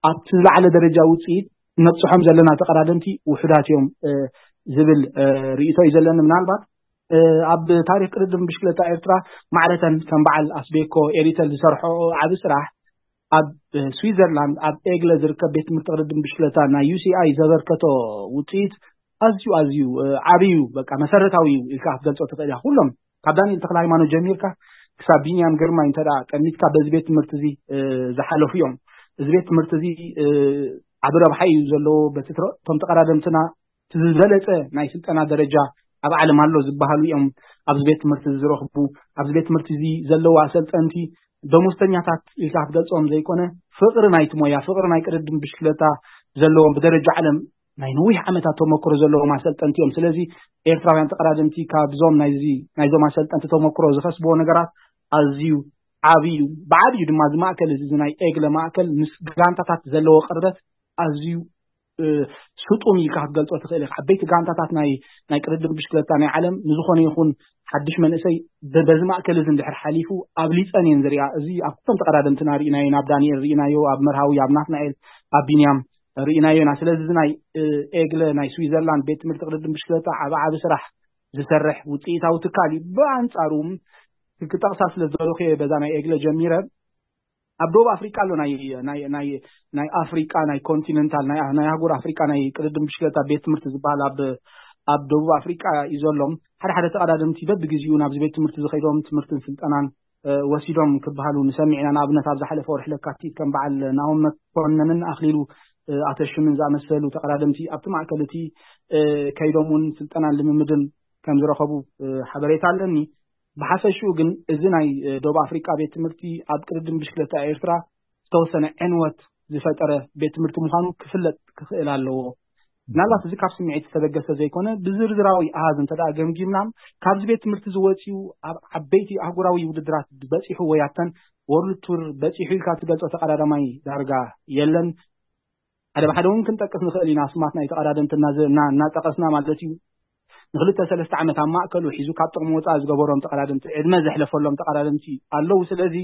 ኣብቲ ዝለዓለ ደረጃ ውፅኢት ነብፅሖም ዘለና ተቐዳደምቲ ውሑዳት እዮም ዝብል ርእይቶ እዩ ዘለኒ። ምናልባት ኣብ ታሪክ ቅድድም ብሽክለታ ኤርትራ ማዕረተን ከም በዓል ኣስቤኮ ኤሪተል ዝሰርሖ ዓቢ ስራሕ ኣብ ስዊዘርላንድ ኣብ ኤግለ ዝርከብ ቤት ትምህርቲ ቅድድም ብሽክለታ ናይ ዩሲኣይ ዘበርከቶ ውፅኢት ኣዝዩ ኣዝዩ ዓብዩ በቃ መሰረታዊ እዩ ኢልካ ክትገልፆ ትኽእል ኢኻ። ኩሎም ካብ ዳንኤል ተክለ ሃይማኖት ጀሚርካ ክሳብ ቢንያም ግርማይ እንተ ጠሚትካ በዚ ቤት ትምህርቲ እዚ ዝሓለፉ እዮም። እዚ ቤት ትምህርቲ እዚ ዓቢ ረብሓ እዩ ዘለዎ። በቲ እቶም ተቐዳደምትና ዝበለፀ ናይ ስልጠና ደረጃ ኣብ ዓለም ኣሎ ዝበሃሉ እዮም ኣብዚ ቤት ትምህርቲ እዚ ዝረኽቡ። ኣብዚ ቤት ትምህርቲ እዚ ዘለዉ ኣሰልጠንቲ ደሞዝተኛታት ኢልካ ክትገልፆም ዘይኮነ ፍቕሪ ናይቲ ሞያ፣ ፍቕሪ ናይ ቅድድም ብሽክለታ ዘለዎም ብደረጃ ዓለም ናይ ነዊሕ ዓመታት ተመክሮ ዘለዎም ኣሰልጠንቲ እዮም። ስለዚ ኤርትራውያን ተቐዳደምቲ ካብዞም ናይዚ ናይዞም ኣሰልጠንቲ ተመክሮ ዝኸስብዎ ነገራት ኣዝዩ ዓብዩ እዩ። ብዓብዩ ድማ እዚ ማእከል እዚ ናይ ኤግለ ማእከል ምስ ጋንታታት ዘለዎ ቅርበት ኣዝዩ ስጡም ኢልካ ክትገልፆ ትኽእል ኢኻ። ዓበይቲ ጋንታታት ናይ ናይ ቅድድም ብሽክለታ ናይ ዓለም ንዝኾነ ይኹን ሓድሽ መንእሰይ በዚ ማእከል እዚ እንድሕር ሓሊፉ ኣብሊፀን እየን ዝሪኣ። እዚ ኣብ ኩሎም ተቐዳደምትና ርኢናዮ፣ ኣብ ዳንኤል ርኢናዮ፣ ኣብ መርሃዊ፣ ኣብ ናትናኤል፣ ኣብ ቢንያም ርኢናዮ ኢና። ስለዚ እዚ ናይ ኤግለ ናይ ስዊዘርላንድ ቤት ትምህርቲ ቅድድም ብሽክለታ ዓቢ ዓቢ ስራሕ ዝሰርሕ ውፅኢታዊ ትካል እዩ። ብኣንፃሩ ክጠቕሳ ስለ ዝደለኹ እየ በዛ ናይ ኤግለ ጀሚረ። ኣብ ደቡብ ኣፍሪቃ ኣሎ ናይ ናይ ናይ ናይ ኣፍሪቃ ናይ ኮንቲነንታል ናይ ናይ ኣህጉር ኣፍሪቃ ናይ ቅድድም ብሽክለታ ቤት ትምህርቲ ዝበሃል ኣብ ኣብ ደቡብ ኣፍሪቃ እዩ ዘሎ። ሓደ ሓደ ተቐዳደምቲ በብግዜኡ ናብዚ ቤት ትምህርቲ ዝኸይዶም ትምህርትን ስልጠናን ወሲዶም ክበሃሉ ንሰሚዕ ኢና። ንኣብነት ኣብ ዝሓለፈ ወርሒ ለካቲት ከም በዓል ናሆም መኮነንን ኣኽሊሉ ኣተሽምን ዝኣመሰሉ ተቐዳደምቲ ኣብቲ ማእከል እቲ ከይዶም እውን ስልጠናን ልምምድን ከም ዝረኸቡ ሓበሬታ ኣለኒ። ብሓፈሽኡ ግን እዚ ናይ ደቡብ ኣፍሪቃ ቤት ትምህርቲ ኣብ ቅድድም ብሽክለታ ኤርትራ ዝተወሰነ ዕንወት ዝፈጠረ ቤት ትምህርቲ ምዃኑ ክፍለጥ ክኽእል ኣለዎ። ምናልባት እዚ ካብ ስምዒት ዝተበገሰ ዘይኮነ፣ ብዝርዝራዊ ኣሃዝ እንተ ደኣ ገምጊምና፣ ካብዚ ቤት ትምህርቲ ዝወፅኡ ኣብ ዓበይቲ ኣህጉራዊ ውድድራት በፂሑ ወይ ኣብተን ወርልድ ቱር በፂሑ ኢልካ ትገልፆ ተቐዳዳማይ ዳርጋ የለን። ሓደ ብሓደ እውን ክንጠቅስ ንኽእል ኢና፣ ስማት ናይ ተቐዳደምቲ እናዘ-፣ እና-፣ እናጠቀስና ማለት እዩ። ንክልተ ሰለስተ ዓመት ኣብ ማእከሉ ሒዙ ካብ ጥቕሚ ወፃኢ ዝገበሮም ተቐዳደምቲ፣ ዕድመ ዘሕለፈሎም ተቐዳደምቲ ኣለዉ። ስለዚ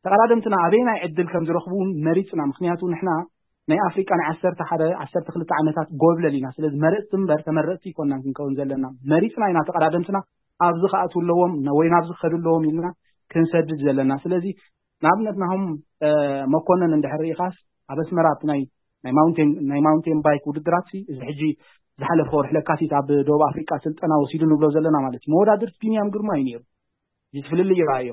ተቐዳደምትና ኣበየናይ ዕድል ከም ዝረኽቡ እውን መሪፅና። ምክንያቱ ንሕና ናይ ኣፍሪቃ ናይ ዓሰርተ ሓደ ዓሰርተ ክልተ ዓመታት ጎብለል ኢና። ስለዚ መረፅቲ እምበር ተመረፅቲ ይኮናን ክንከውን ዘለና። መሪፅና ኢና ተቐዳደምትና ኣብዚ ክኣትዉ ኣለዎም ነ-፣ ወይ ናብዚ ክኸዱ ኣለዎም ኢልና ክንሰድድ ዘለና። ስለዚ ንኣብነት ናሆም፣ እ፣ መኮነን እንድሕር ርኢኻስ ኣብ ኣስመራ ኣብቲ ናይ፣ ናይ ማውንቴን፣ ናይ ማውንቴን ባይክ ውድድራት ሲ፣ እዚ ሕጂ ዝሓለፈ ወርሒ ለካቲት ኣብ ደቡብ ኣፍሪቃ ስልጠና ወሲዱ ንብሎ ዘለና ማለት እዩ። መወዳድርት ቢንያም ግርማ እዩ ነይሩ። እዚ ፍልልይ ይረኣዮ።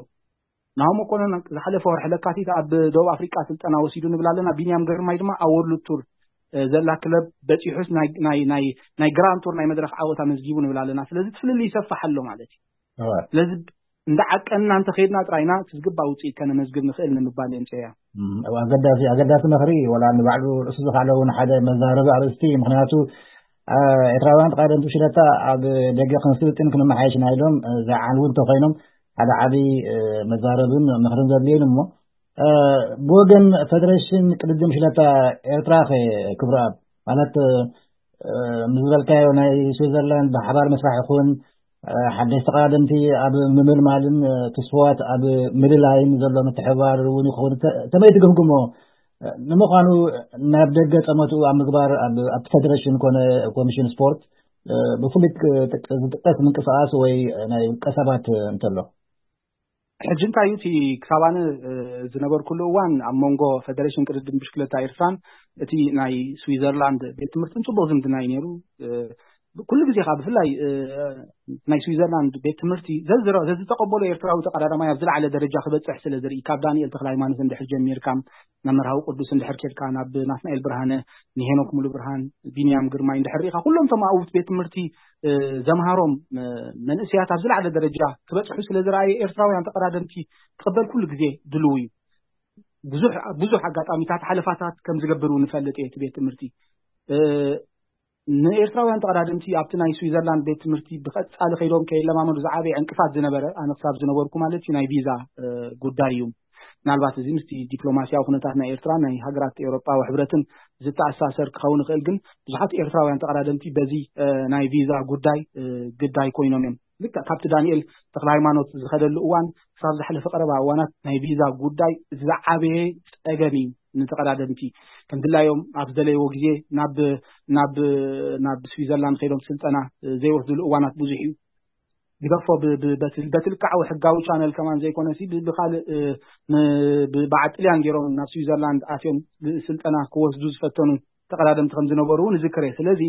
ናሆም መኮነን ዝሓለፈ ወርሒ ለካቲት ኣብ ደቡብ ኣፍሪቃ ስልጠና ወሲዱ ንብል ኣለና። ቢንያም ግርማይ ድማ ኣብ ወርልድ ቱር፣ እ፣ ዘላ ክለብ በፂሑስ ናይ፣ ናይ፣ ናይ፣ ናይ ግራንድ ቱር ናይ መድረኽ ዓወት ኣመዝጊቡ ንብል ኣለና። ስለዚ እቲ ፍልልይ ይሰፍሕ ኣሎ ማለት እዩ። እወ። ስለዚ እንዳ ዓቀንና እንተኸይድና ጥራይና እቲ ዝግባእ ውፅኢት ከነመዝግብ ንኽእል ንምባል እየ፣ ምፅያ። እም፣ እወ፣ ኣገዳሲ፣ ኣገዳሲ ምኽሪ፣ ወላ ንባዕሉ ርእሱ ዝኻለ እውን ሓደ መዛረቢ ኣርእስቲ፣ ምክንያቱ፣ እ፣ ኤርትራውያን ተቓደምቲ ሽለታ ኣብ ደገ ክንስልጥን ክንመሓየሽና ኢሎም፣ እ፣ ዝዓልዉ እንተኾይኖም ሓደ ዓብዪ፣ እ፣ መዛረብን ምኽርን ዘድልየን እሞ፣ እ፣ ብወገን ፈደሬሽን ቅድድም ሽለታ ኤርትራ ኸ ክብረኣብ፣ ማለት፣ እ፣ ምስ ዝበልካዮ ናይ ስዊዘርላንድ ብሓባር ምስራሕ ይኹን፣ እ፣ ሓደሽቲ ተቐዳደምቲ ኣብ ምምልማልን፣ እ፣ ትስፍዋት ኣብ ምልላይን ዘሎ ምትሕብባር እውን ይኸውን። ተ-፣ ከመይ ትግምግሞ? እ፣ ንምዃኑ ናብ ደገ ጠመትኡ ኣብ ምግባር ኣብ፣ ኣብቲ ፈደሬሽን ኮነ ኮሚሽን ስፖርት፣ እ፣ ብፍሉይ ክጥቅ-፣ ዝጥቀስ ምንቅስቓስ ወይ ናይ ውልቀ ሰባት እንተሎ? ሕጂ እንታይ እዩ እቲ ክሳብ ኣነ፣ እ፣ ዝነበርኩሉ እዋን ኣብ መንጎ ፈደሬሽን ቅድድም ብሽክለታ ኤርትራን እቲ ናይ ስዊዘርላንድ ቤት ትምህርትን ጽቡቕ ዝምድና እዩ ነይሩ። እ፣ ኩሉ ግዜ ከኣ ብፍላይ፣ እ፣ ናይ ስዊዘርላንድ ቤት ትምህርቲ ዘዝረ-፣ ዘዝተቐበሎ ኤርትራዊ ተቐዳዳማይ ኣብ ዝለዓለ ደረጃ ክበጽሕ ስለ ዝርኢ፣ ካብ ዳንኤል ተኽለ ሃይማኖት እንድሕር ጀሚርካ፣ ናብ መርሃዊ ቅዱስ እንድሕር ኬድካ፣ ናብ ናትናኤል ብርሃነ፣ ንሄኖክ ሙሉ ብርሃን፣ ቢንያም ግርማይ እንድሕር ርኢኻ፣ ኩሎም እቶም ኣብኡ ቤት ትምህርቲ፣ እ፣ ዘምሃሮም፣ እ፣ መንእሰያት ኣብ ዝለዓለ ደረጃ ክበጽሑ ስለ ዝረኣየ፣ ኤርትራውያን ተቐዳደምቲ ክቕበል ኩሉ ግዜ ድልው እዩ። ብዙሕ፣ ብዙሕ ኣጋጣሚታት ሓለፋታት ከም ዝገብር እውን እፈልጥ እየ። እቲ ቤት ትምህርቲ፣ እ፣ ንኤርትራውያን ተቐዳደምቲ ኣብቲ ናይ ስዊዘርላንድ ቤት ትምህርቲ ብቐጻሊ ከይዶም ከይለማመዱ ዝዓበየ ዕንቅፋት ዝነበረ፣ ኣነ ክሳብ ዝነበርኩ ማለት እዩ፣ ናይ ቪዛ፣ እ፣ ጉዳይ እዩ። ምናልባት እዚ ምስቲ ዲፕሎማስያዊ ኩነታት ናይ ኤርትራ፣ ናይ ሃገራት ኤውሮጳዊ ሕብረትን ዝተኣሳሰር ክኸውን ይኽእል፣ ግን ብዙሓት ኤርትራውያን ተቐዳደምቲ በዚ፣ እ፣ ናይ ቪዛ ጉዳይ፣ እ፣ ግዳይ ኮይኖም እዮም። ልክዕ ካብቲ ዳንኤል ተኽለ ሃይማኖት ዝኸደሉ እዋን ክሳብ ዝሓለፈ ቀረባ እዋናት ናይ ቪዛ ጉዳይ ዝዓበየ ጸገም እዩ። ንተቐዳደምቲ ከም ድላዮም ኣብ ዝደለይዎ ግዜ ናብ፣ ናብ፣ ናብ ስዊዘርላንድ ከይዶም ስልጠና ዘይወስድሉ እዋናት ብዙሕ እዩ። ግደፎ ብ-፣ ብ-፣ በቲ፣ በቲ ልክዓዊ ሕጋዊ ቻነል ከማን ዘይኮነሲ ብ-፣ ብኻልእ፣ እ፣ ን-፣ ብ-፣ በዓል ጥልያን ገይሮም ናብ ስዊዘርላንድ ኣትዮም ስልጠና ክወስዱ ዝፈተኑ ተቐዳደምቲ ከም ዝነበሩ እውን እዝክር እየ። ስለዚ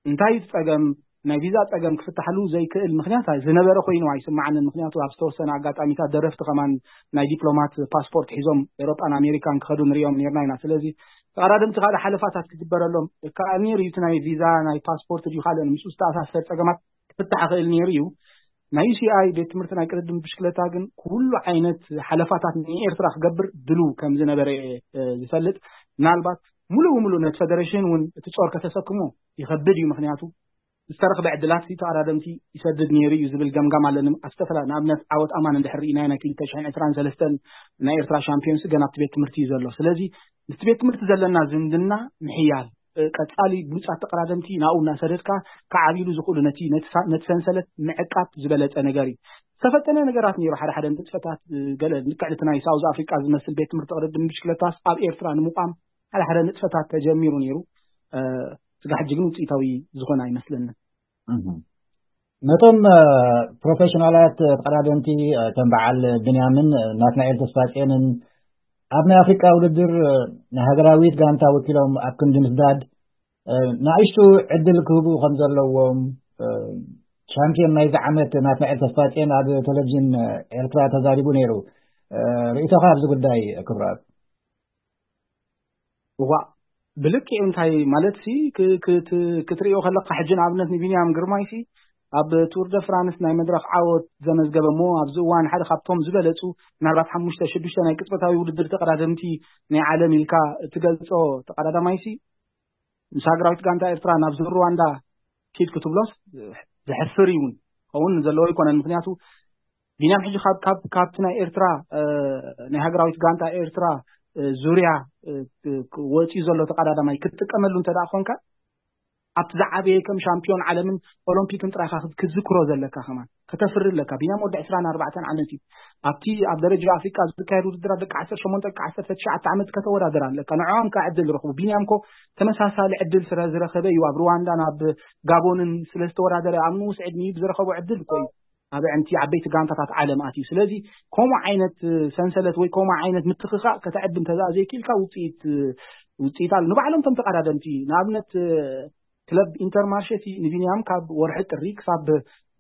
እንታይ እዩ እቲ ጸገም? ናይ ቪዛ ጸገም ክፍታሕሉ ዘይክእል ምኽንያት ዝነበረ ኮይኑ ኣይስምዓንን። ምኽንያቱ ኣብ ዝተወሰነ ኣጋጣሚታት ደረፍቲ ከማን ናይ ዲፕሎማት ፓስፖርት ሒዞም ኤውሮጳን ኣሜሪካን ክኸዱ ንሪኦም ኔርና ኢና። ስለዚ ተቐዳደምቲ ካልእ ሓለፋታት ክግበረሎም ይከኣል ነይሩ እዩ። እቲ ናይ ቪዛ፣ ናይ ፓስፖርት ድዩ ካልእ ምስኡ ዝተኣሳሰር ጸገማት ክፍታሕ ይኽእል ነይሩ እዩ። ናይ ዩ ሲ ኣይ ቤት ትምህርቲ ናይ ቅድድም ብሽክለታ ግን ኩሉ ዓይነት ሓለፋታት ንኤርትራ ክገብር ድሉው ከም ዝነበረ እየ፣ እ፣ ዝፈልጥ። ምናልባት ሙሉእ ብሙሉእ ነቲ ፈደሬሽን እውን እቲ ጾር ከተሰክሞ ይኸብድ እዩ። ምኽንያቱ ዝተረኽበ ዕድላት ተቐዳደምቲ ይሰድድ ነይሩ እዩ ዝብል ገምጋም ኣለኒ። ኣብ ዝተፈላለ-፣ ንኣብነት ዓወት ኣማን እንድሕር ርኢናዮ ናይ ክልተ ሽሕን ዕስራን ሰለስተን ናይ ኤርትራ ሻምፒዮንስ ገና ኣብቲ ቤት ትምህርቲ እዩ ዘሎ። ስለዚ ምስቲ ቤት ትምህርቲ ዘለና ዝምድና ምሕያል፣ እ፣ ቀጻሊ ብሉጻት ተቐዳደምቲ ናብኡ እናሰደድካ ክዓብይሉ ዝኽእሉ ነቲ፣ ነቲ ሳ-፣ ነቲ ሰንሰለት ምዕቃብ ዝበለጸ ነገር እዩ። ዝተፈተነ ነገራት ነይሩ። ሓደ ሓደ ንጥፈታት፣ እ፣ ገለ ልክዕ እቲ ናይ ሳውዝ ኣፍሪቃ ዝመስል ቤት ትምህርቲ ቅድድም ብሽክለታስ ኣብ ኤርትራ ንምቋም ሓደ ሓደ ንጥፈታት ተጀሚሩ ነይሩ። እ፣ ስጋዕ ሕጂ ግን ውጽኢታዊ ዝኾነ ኣይመስለንን። እህ። ነቶም፣ እ፣ ፕሮፌሽናላት ተቐዳደምቲ፣ እ፣ ከም በዓል ብንያምን፣ እ፣ ናትናኤል ተስፋጽዮንን ኣብ ናይ ኣፍሪቃ ውድድር፣ እ፣ ንሃገራዊት ጋንታ ወኪሎም ኣብ ክንዲ ምስዳድ፣ እ፣ ንኣሽቱ ዕድል ክህቡ ከም ዘለዎም፣ እ፣ ቻምፒዮን ናይዚ ዓመት ናትናኤል ተስፋጽዮን ኣብ ቴሌቪዥን፣ እ፣ ኤርትራ ተዛሪቡ ነይሩ። እ፣ ርእይቶኻ ኣብዚ ጉዳይ ክብረኣብ? እዋእ፣ ብልክዕ እንታይ ማለት ሲ፣ ክ-፣ ክት-፣ ክትርእዮ ከለካ ሕጂ ንኣብነት ንቢንያም ግርማይ ሲ ኣብ ቱር ደ ፍራንስ ናይ መድረኽ ዓወት ዘመዝገበ እሞ ኣብዚ እዋን ሓደ ካብቶም ዝበለጹ ምናልባት ሓሙሽተ ሽዱሽተ ናይ ቅጽበታዊ ውድድር ተቐዳደምቲ ናይ ዓለም ኢልካ እትገልጾ ተቐዳዳማይ ሲ ምስ ሃገራዊት ጋንታ ኤርትራ ናብ ዙር ሩዋንዳ ኪድ ክትብሎስ ዘሕፍር ይውን ከውን ዘለዎ ኣይኮነን። ምክንያቱ ቢንያም ሕጂ ካብ ካብ ካብቲ ናይ ኤርትራ ናይ ሃገራዊት ጋንታ ኤርትራ ዙርያ ወፂኡ ዘሎ ተቀዳዳማይ ክትጥቀመሉ እንተ ደኣ ኮንካ ኣብቲ ዝዓበየ ከም ሻምፒዮን ዓለምን ኦሎምፒክን ጥራይካ ክትዝክሮ ዘለካ ከማን ከተፍሪ ኣለካ። ቢንያም ወዲ ዕስራን ኣርባዕተን ዓመት እዩ። ኣብቲ ኣብ ደረጃ ኣፍሪቃ ዝካየድ ውድድራት ደቂ ዓሰርተ ሸሞንተ ደቂ ዓሰርተ ትሽዓተ ዓመት ከተወዳደር ኣለካ። ንዕኦም ከ ዕድል ረኽቡ። ቢንያም ኮ ተመሳሳሊ ዕድል ስለ ዝረኸበ እዩ ኣብ ሩዋንዳ ናብ ጋቦንን ስለ ዝተወዳደረ ኣብ ንኡስ ዕድሚኡ ብዝረኸቦ ዕድል እኮ እዩ ኣብ ዕንቲ ዓበይቲ ጋንታታት ዓለም ኣትዩ። ስለዚ ከምኡ ዓይነት ሰንሰለት ወይ ከምኡ ዓይነት ምትኽኻእ ከተዕቢ እንተዘኣ ዘይክኢልካ ውፅኢት ውፅኢት ኣሎ። ንባዕሎም እቶም ተቐዳደምቲ ንኣብነት ክለብ ኢንተርማርሼ እቲ ንቢንያም ካብ ወርሒ ጥሪ ክሳብ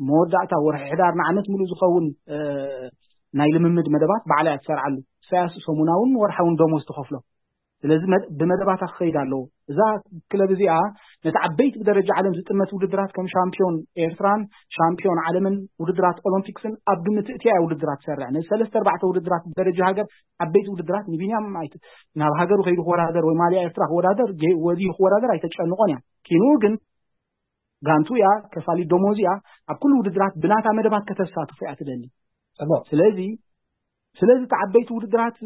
መወዳእታ ወርሒ ሕዳር ንዓመት ሙሉእ ዝኸውን ናይ ልምምድ መደባት ባዕላ እያ ትሰርዓሉ። ኢሳያስ ሰሙናውን ወርሓውን ደሞዝ ትኸፍሎ። ስለዚ ብመደባታ ክኸይድ ኣለዎ። እዛ ክለብ እዚኣ ነቲ ዓበይቲ ብደረጃ ዓለም ዝጥመት ውድድራት ከም ሻምፒዮን ኤርትራን ሻምፒዮን ዓለምን ውድድራት ኦሎምፒክስን ኣብ ግምት እትያ ውድድራት ትሰርዕ። ነዚ ሰለስተ ኣርባዕተ ውድድራት ብደረጃ ሃገር ዓበይቲ ውድድራት ንቢንያም ናብ ሃገሩ ከይዱ ክወዳደር ወይ ማልያ ኤርትራ ክወዳደር ወዲዩ ክወዳደር ኣይተጨንቆን እያ። ኪንኡ ግን ጋንቱ እያ፣ ከፋሊት ደሞዝ እያ። ኣብ ኩሉ ውድድራት ብናታ መደባት ከተሳትፎ እያ ትደሊ። ጽቡቕ። ስለዚ ስለዚ እቲ ዓበይቲ ውድድራት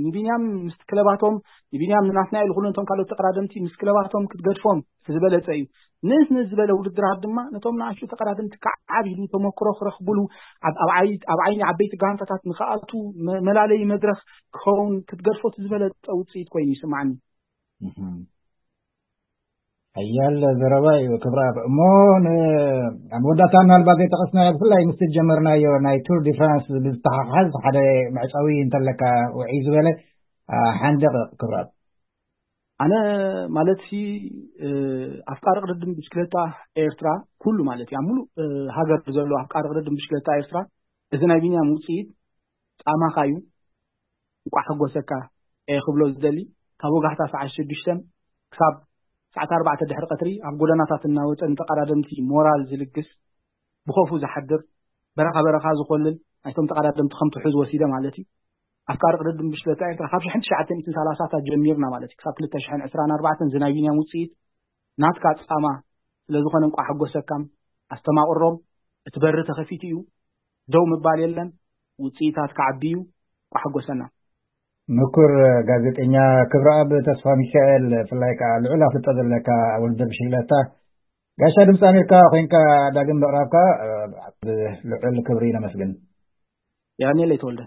ንቢንያም ምስ ክለባቶም ንቢንያም ንናትናኤል ኩሉ ነቶም ካልኦት ተቀዳደምቲ ምስ ክለባቶም ክትገድፎም እቲ ዝበለጸ እዩ። ንእስ ንእስ ዝበለ ውድድራት ድማ ነቶም ንኣሽቱ ተቀዳደምቲ ከዓብ ኢሉ ተመክሮ ክረኽብሉ ኣብ ዓይኒ ዓበይቲ ጋንታታት ንክኣቱ መላለይ መድረኽ ክኸውን ክትገድፎ እቲ ዝበለጸ ውፅኢት ኮይኑ ይስማዓኒ። ሓያል ዘረባ እዩ ክብራ። እሞ ኣብ መወዳእታ ምናልባት ዘይጠቐስናዮ ብፍላይ ምስ ጀመርናዮ ናይ ቱር ዲ ፍራንስ ብዝተሓሓዝ ሓደ መዕፀዊ እንተለካ ውዒ ዝበለ ሓንደቕ ክብራ። ኣነ ማለት ሲ ኣፍቃሪ ቅድድም ብሽክለታ ኤርትራ ኩሉ ማለት እዩ ኣብ ሙሉእ ሃገር ዘሎ ኣፍቃሪ ቅድድም ብሽክለታ ኤርትራ እዚ ናይ ቢንያም ውፅኢት ጻማኻ እዩ እንቋዕ ሕጎሰካ እየ ክብሎ ዝደሊ ካብ ወጋሕታ ሰዓት ሽዱሽተ ክሳብ ሰዓት ኣርባዕተ ድሕሪ ቀትሪ ኣብ ጎደናታት እናወፀ ንተቐዳደምቲ ሞራል ዝልግስ ብኸፉ ዝሓድር በረኻ በረኻ ዝኾልል ናይቶም ተቐዳደምቲ ከም ትሑዝ ወሲደ ማለት እዩ ኣፍቃሪ ቅድድም ብሽክለታ ኤርትራ ካብ ሽሕን ትሽዓተ ሚእትን ሰላሳታት ጀሚርና ማለት እዩ ክሳብ ክልተ ሽሕን ዕስራን ኣርባዕተን ዝናይ ቢንያም ውፅኢት ናትካ ጻማ ስለዝኾነ እንቋዕ ሕጎሰካም ኣስተማቕሮም እቲ በሪ ተኸፊቱ እዩ ደው ምባል የለን ውፅኢታት ክዓቢ እዩ እንቋዕ ሕጎሰና ምኩር ጋዜጠኛ ክብረኣብ ተስፋ ሚካኤል ብፍላይ ከዓ ልዑል ኣፍልጦ ዘለካ ውድድር ብሽክለታ ጋሻ ድምፂ ኣሜሪካ ኮይንካ ዳግም ምቕራብካ ልዑል ክብሪ ነመስግን። የቐንየለይ ተወልደ።